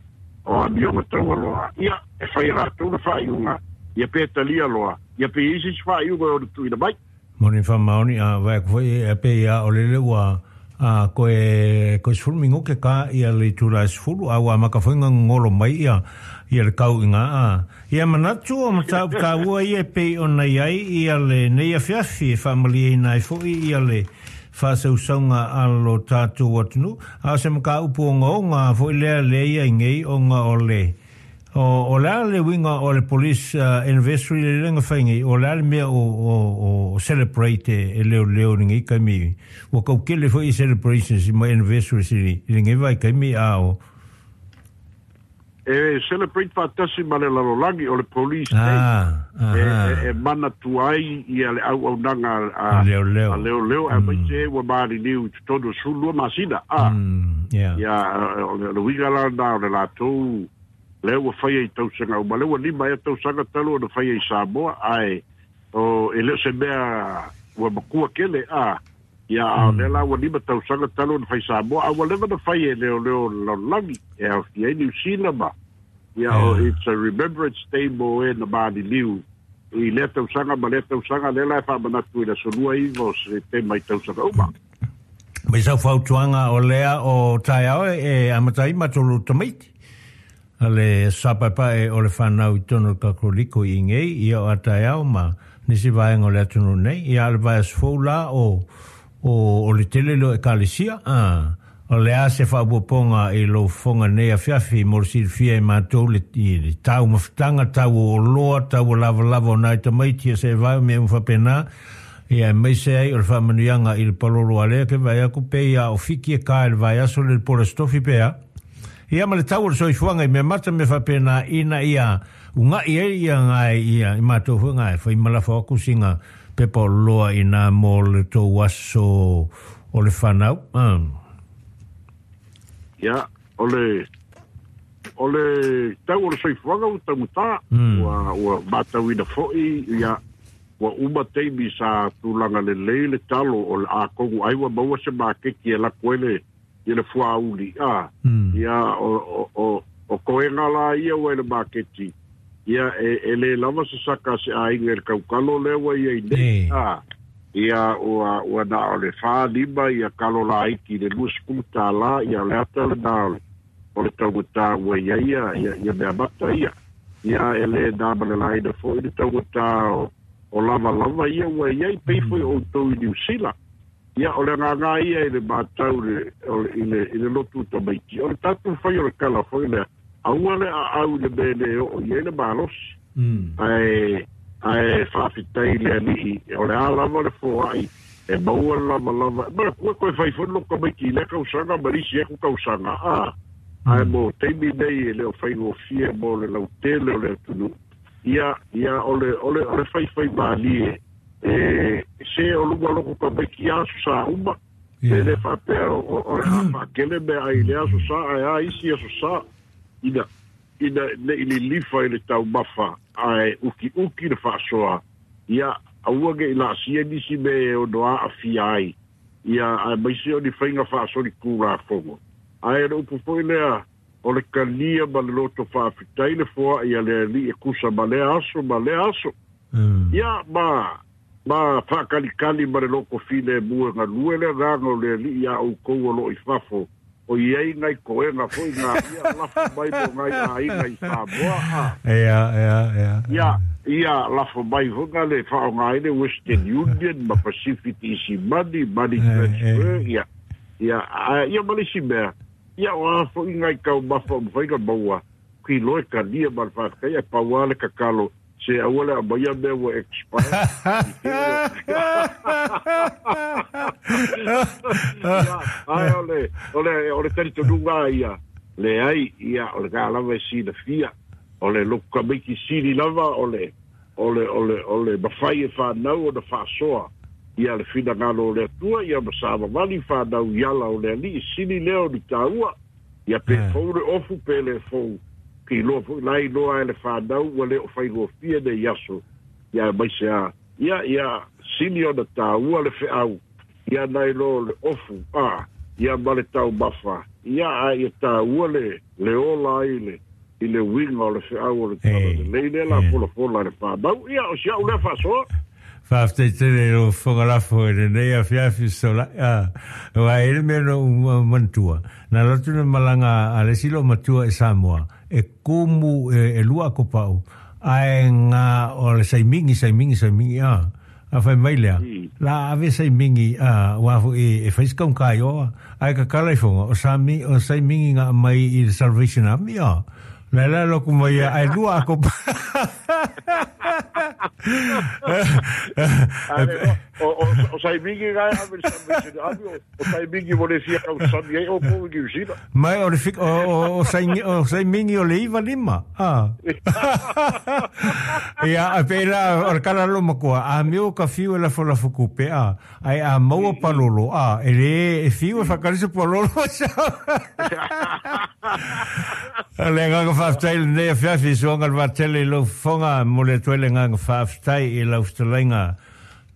o Amioga Taualoa, ia, e fai e latou le faaiuga, ia pe talia loa, ia pe i ai se isi faaiuga e ono tuuina mai. Moni faamaoni, a vaai atu foi e pei a o lele ua a koe koe 10 minute ka ia le itula e 10, a ua amata foi na gogolo mai ia ia le tau i nga a ia manatu o mataupu taua ia e pei ona i ai ia lenei afiafi e faamalieina ai foi ia le faasausauga a lo tatou atunuu. A o se mataupu ogaoga foi lea lea i ai nei ona o le o, o le a le uiga o le police anniversary le lea na fai nei, o le a le mea o celebrate e leoleo i lenei taimi, ua tau tele foi celebrations ma anniversaries i lenei vaitaimi a o E celebrate faatasi ma le lalolagi o le Police Day e manatua ai ia le auaunaga a leoleo aemaise ua maliliu i totonu o 12 masina. Ia, o le uiga la lena o le latou lea ua faia i tausaga uma, lea ua 5 ea tausaga talu ona faia i Samoa, ae e le o se mea ua matua tele. Ia, a o lea la ua 5 tausaga talu ona fai Samoa, a ua leva ona fai e leoleo o le lalolagi, e aofia ai Niu Sila ma, ia, o it's a remembrance day mo e na maliliu i lea tausaga ma lea tausaga, lea la e faamanatu i le aso 29 o Setema i tausaga uma. Mai sau fautuaga o lea o taeao e amata ai matou tamaiti a le sapaepae o le fanau i totonu o le Katoliko i inei, ia o a taeao ma nisi vaega o le atunuu nei, ia a le vaiaso fou la o, o, o le tele lea o ekalesia, a, o le a se faaopoopoga i lou fofoga nei afiafi mo le silafia e matou le, i le taumafataga, tau o oloa, tau o lavalava o nai tamaiti, ia se vae o mea uma faapena, ia aemaise ai o le faamanuiaga i le palolo a lea ke vaai aku pei a o Fiki e ka i le vaiaso le le po le Aso Tofi pe a. Ia ma le tau o le soifuaga i mea mata mea faapena ina ia ugaʻi ai ia ngae ia i matou foi ngae fai ma lafo aku sina pepa o loa ina mo le tou aso o le fanau. Ia, o le o le tau o le soifuaga ua taugata, ua matauina foi ia ua uma taimi sa tulaga lelei le talo o le atonu ai ua maua se maketi e lako ai le ia le fuauli a ia o koega la ia ua i le maketi ia e le lava se saka se aiga i le kaukalo lea ua i ai nei a ia ua na o le 4-5 ia kalo laiti i le $20 ia o le ata lena o le taugata ua i ai ia mea mata ia ia e le na ma le laina foi le taugata o lavalava ia ua i ai pei foi o outou i Niu Sila. Ia, o le agaga ia i le matau i le lotu tamaiti, o le tatou fai o le tala foi lea, aua le aau i le mea e le oo i ai le malosi. Ae faafetai i le Alii, o le a lava le foai e maua le lavalava. Manatua toe fai foi le lotu tamaiti i lea tausaga ma le isi atu tausaga, ae mo taimi nei e le o faigofie mo le lautele o le atunuu. Ia, o le faifai malie. E se o luga loko tamaiti aso sa uma, e le faapea o le a faakele mea ai le aso sa, ae a isi aso sa, ina nei lilifa i le taumafa, ae ukiuki le faasoa, ia aua nei laasia nisi mea e ono aafia ai, ia aemaise o ni faiga faasoli tulafono. Ae le upu foi lea o le kalia ma le loto faafetai le foaʻi a le aliʻi e kusa ma lea aso ma lea aso. Ia ma faakalikali ma le loko filemu e galue le agaga o le aliʻi iā ʻoukou o loo i fafo o iai nai koega foi ga ia lafo mai mo nai aiga i Samoa a. Ia, ia, ia. Ia, ia lafo mai foi ga le faaaoga ai le Western Union ma Pacific Easy Money, Money Transfer, ia. Ia, a ia ma le isi mea, ia o a foi nai taumafa o mafai ona maua, kilo e kalia ma le faafetai, ae pau lava le tatalo, se aua le aumaia mea ua expire. Ia, ae o le, o le, o le talitonuga lava ia, leai, ia, o lena lava e silafia, o le lotu tamaiti sili lava o le, o le, o le, o le mafai e fanau ona faasoa ia le finagalo o le Atua, ia ma savavali fanau i ala o le Alii, sili lea o ni taua, ia pe fou le ofu pe le fou, ke iloa foi la iloa e le fanau ua le o faigofie nei aso, ia aemaise a, ia, ia sili ona taua le feau, ia nai lo le ofu, a, ia ma le taumafa, ia a ia taua le, le ola ai le, i le uiga o le feau o le tala lelei lea la folafola e le fanau. Ia, o si au lea faasoa. Faafetai tele i lou fofoga lafo i lenei afiafi solai. Aua e i ai le mea na ou manatua, na alu atu le malaga a le isi loomatua i Samoa, e kumu e lua akopau, ae ga o le saimigi, saimigi, saimigi, a. A fai mai lea, la ave saimigi, a, aua foi e fai se kaunka i o, ae kakala ifoga, o sami, o saimigi ga aumai i le Salvation Army, a. La la loku mai ia, ae lua akopau. O saimigi ga e ave i le Salvation Army, o saimigi mo le fia tausami ai outou i Niu Sila. Mai o le fik, o, o, o, saimigi o le iva lima. Ah. Ia, a pe la, o le kala lo makoa, a meo ka fiu e lafo lafo kupe, a, ai a maua palolo, a, e le, e fiu e whakarisa palolo. A le agaga faafetai lenei afiafi i suaga le vaatele i lou fofoga, mo le atu ai le agaga faafetai i lau fetalaiga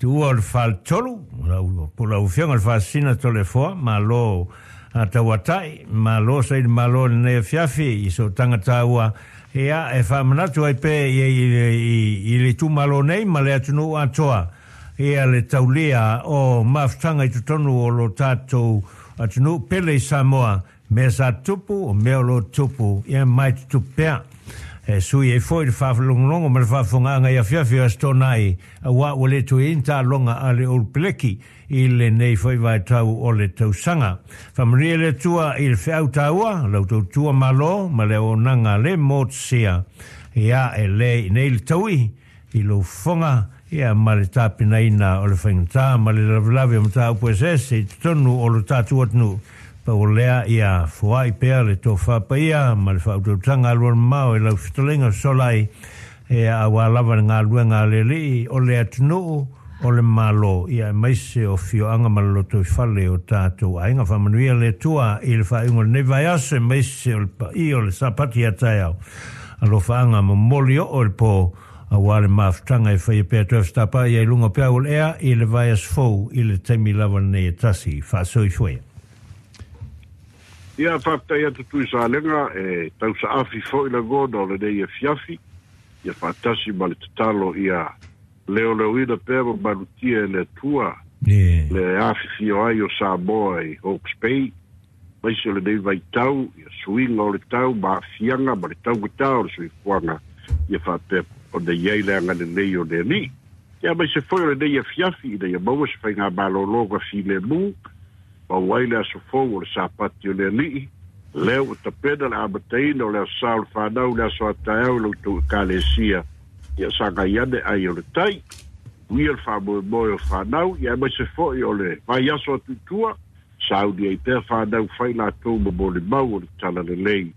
tuua o le faletolu, lau, po lau afioga le Faasisina Toleafoa, malo a tauatai, malo saili malo i lenei afiafi i sootaga taua, ia, e faamanatu ai pea i, i, i, i le itumalo nei ma le atunuu atoa, ia le taulia o mafutaga i totonu o lo tatou atunuu pele i Samoa, Mea sa tupu, o mea o lo o tupu, ia mai tutupu pea. E sui ai foi le faalogologo ma le faafofogaaga i afiafi o Aso Toonai, auā ua le toe i ai ni taaloga a le Old Peleki i lenei foi vaitau o le tausaga. Faamanuia le Atua i le feau taua, lau tautua Malo ma le auaunaga le motusia, ia e le i nei le taui i lou fofoga, ia ma le tapenaina o le faigata ma le lavelave o mataupu eseese i totonu o lo tatou atunuu. Pau o lea, ia foai pea le tofa paia ma le faautautaga alualumamao i lau fetalaiga fesolai, ia aua lava le galuega a le Alii o le atunuu o le Malo, ia aemaise o afioaga ma le lotoifale o tatou aiga. Faamanuia le Atua i le faaiuga o lenei vaiaso, aemaise o le paia o le Sapati a taeao. Alofaaga momoli oo i le po, aua le mafutaga e faia pea toe fetapa ia i luga o peau o le ea i le vaiaso fou i le taimi lava lenei e tasi. Faasoifuaia. Ia, faafetai atu Tuisalega, e tausaafi foi lagona o lenei afiafi, ia faatasi ma le tatalo ia leoleoina pea ma malutia e le Atua le afifio ai o Samoa i Hawke's Bay, aemaise o lenei vaitau, ia suiga o le tau ma aafiaga ma le taugata o le soifuaga, ia faapea ona i ai le agalelei o le Alii. Ia aemaise foi o lenei afiafi ina ia maua se faigamalologa filemu, maua ai le aso fou o le Sapati o le Alii, lea ua tapena le amataina o le Aso Sa o le Fanau i le aso a taeao i la outou Ekalesia, ia sagai ane ai o le tai. Uia le faamoemoe o fanau, ia aemaise foi o le vaiaso atu i tua, sauni ai pea fanau fai latou ma molimau o le talalelei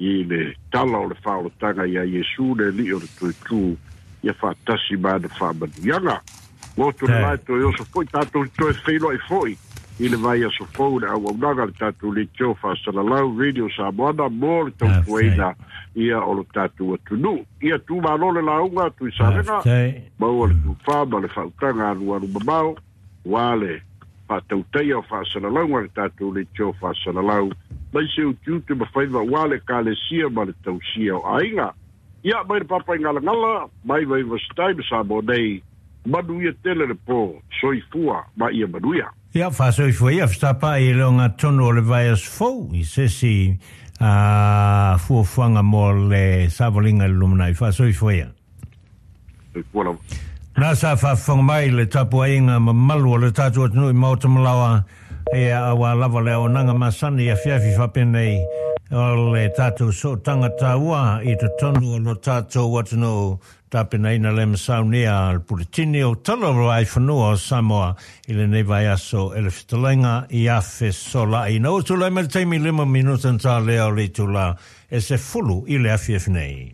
i le tala o le faaolataga iā Iesu le Alii o le Toetū, ia faatasi ma ana faamanuiaga. Loto le lae toe oso foi tatou te toe feiloai foi i le vaiaso fou i le auaunaga a le tatou leitio faasalalau Radio Samoana mo le tautuaina ia o lo tatou atunuu. Ia tumalo le lauga Tuisalega, maua le tufa ma le faautaga alualu mamao, ua le faatautaia o faasalalauga a le tatou leitio faasalalau. mai se utiuti ma faiva uā le ekalesia ma le tausia o aiga. Ia mai le Papaigalagala mai Vaivasitai ma Samoa nei, manuia tele le po, soifua ma ia manuia. Ia, faasoifua ia, fetapa'i i le ogatotonu o le vaiaso fou i se isi fuafuaga mo le savaliga i le lumanai. Faasoifua ia. Soifua lava. Na sa faafofoga mai le tapuaiga mamalu o le tatou atunuu i Maota Malaoa, ia auā lava le auaunaga masani i afiafi faapenei o le tatou sootaga taua i totonu o lo tatou atunuu, tapenaina le masaunia le puletini o Tala o Vaifanua o Samoa i lenei vaiaso e le fetalaiga ia Fesola'i. Ina ua tulai mai le taimi 5 minuta na talea o le itula e 10 i le afiafi nei.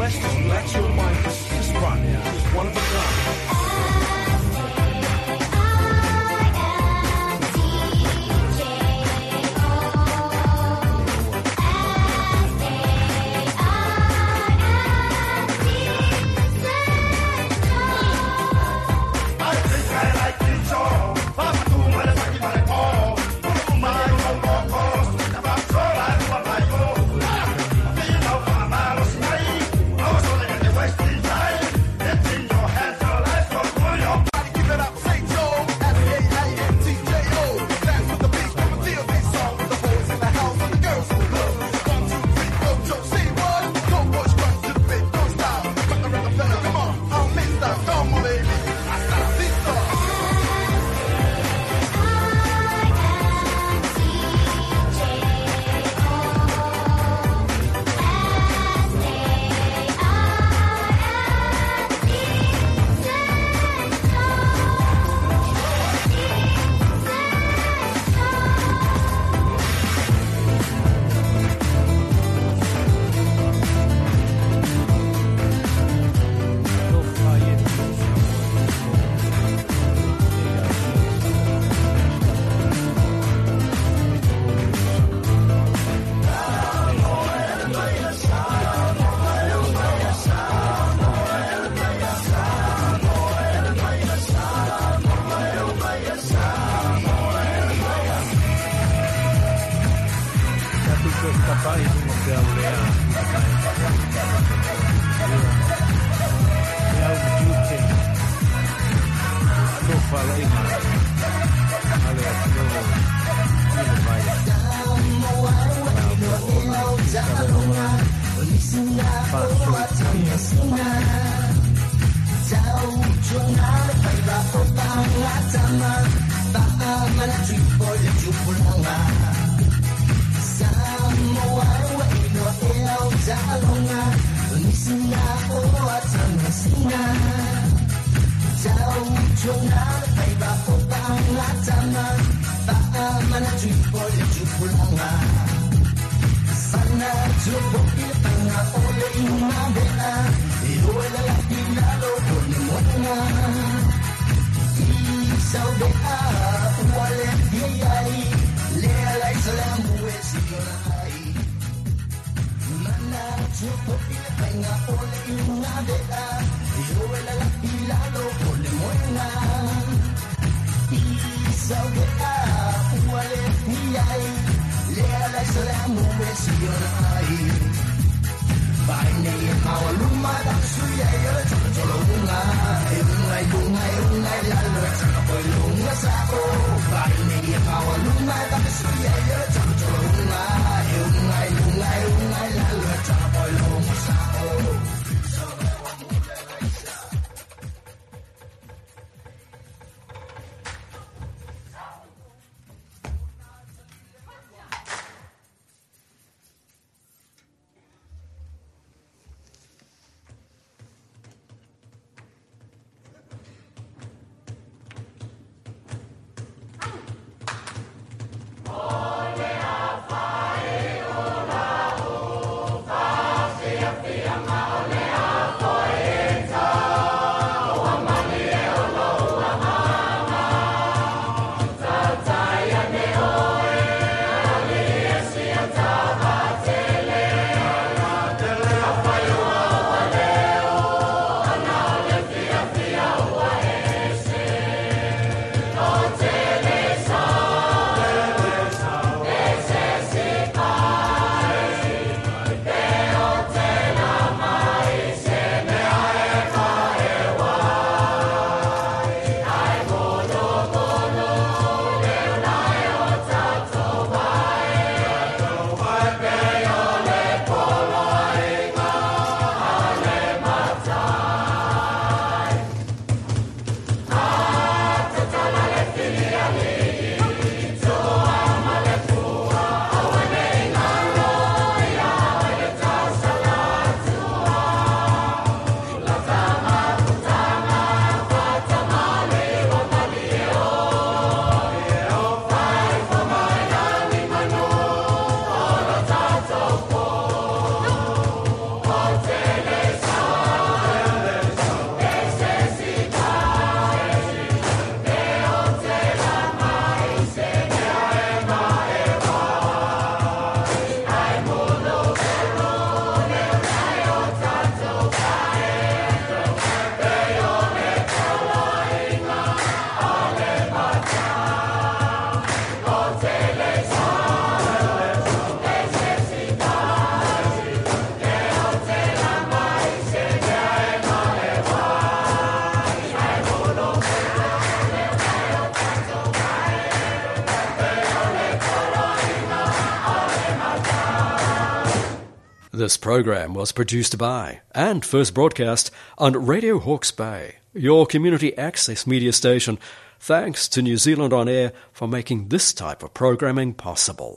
Let's just relax your mind. This rock is one of a kind. Ole a This program was produced by and first broadcast on Radio Hawke's Bay, your community access media station. Thanks to New Zealand On Air for making this type of programming possible.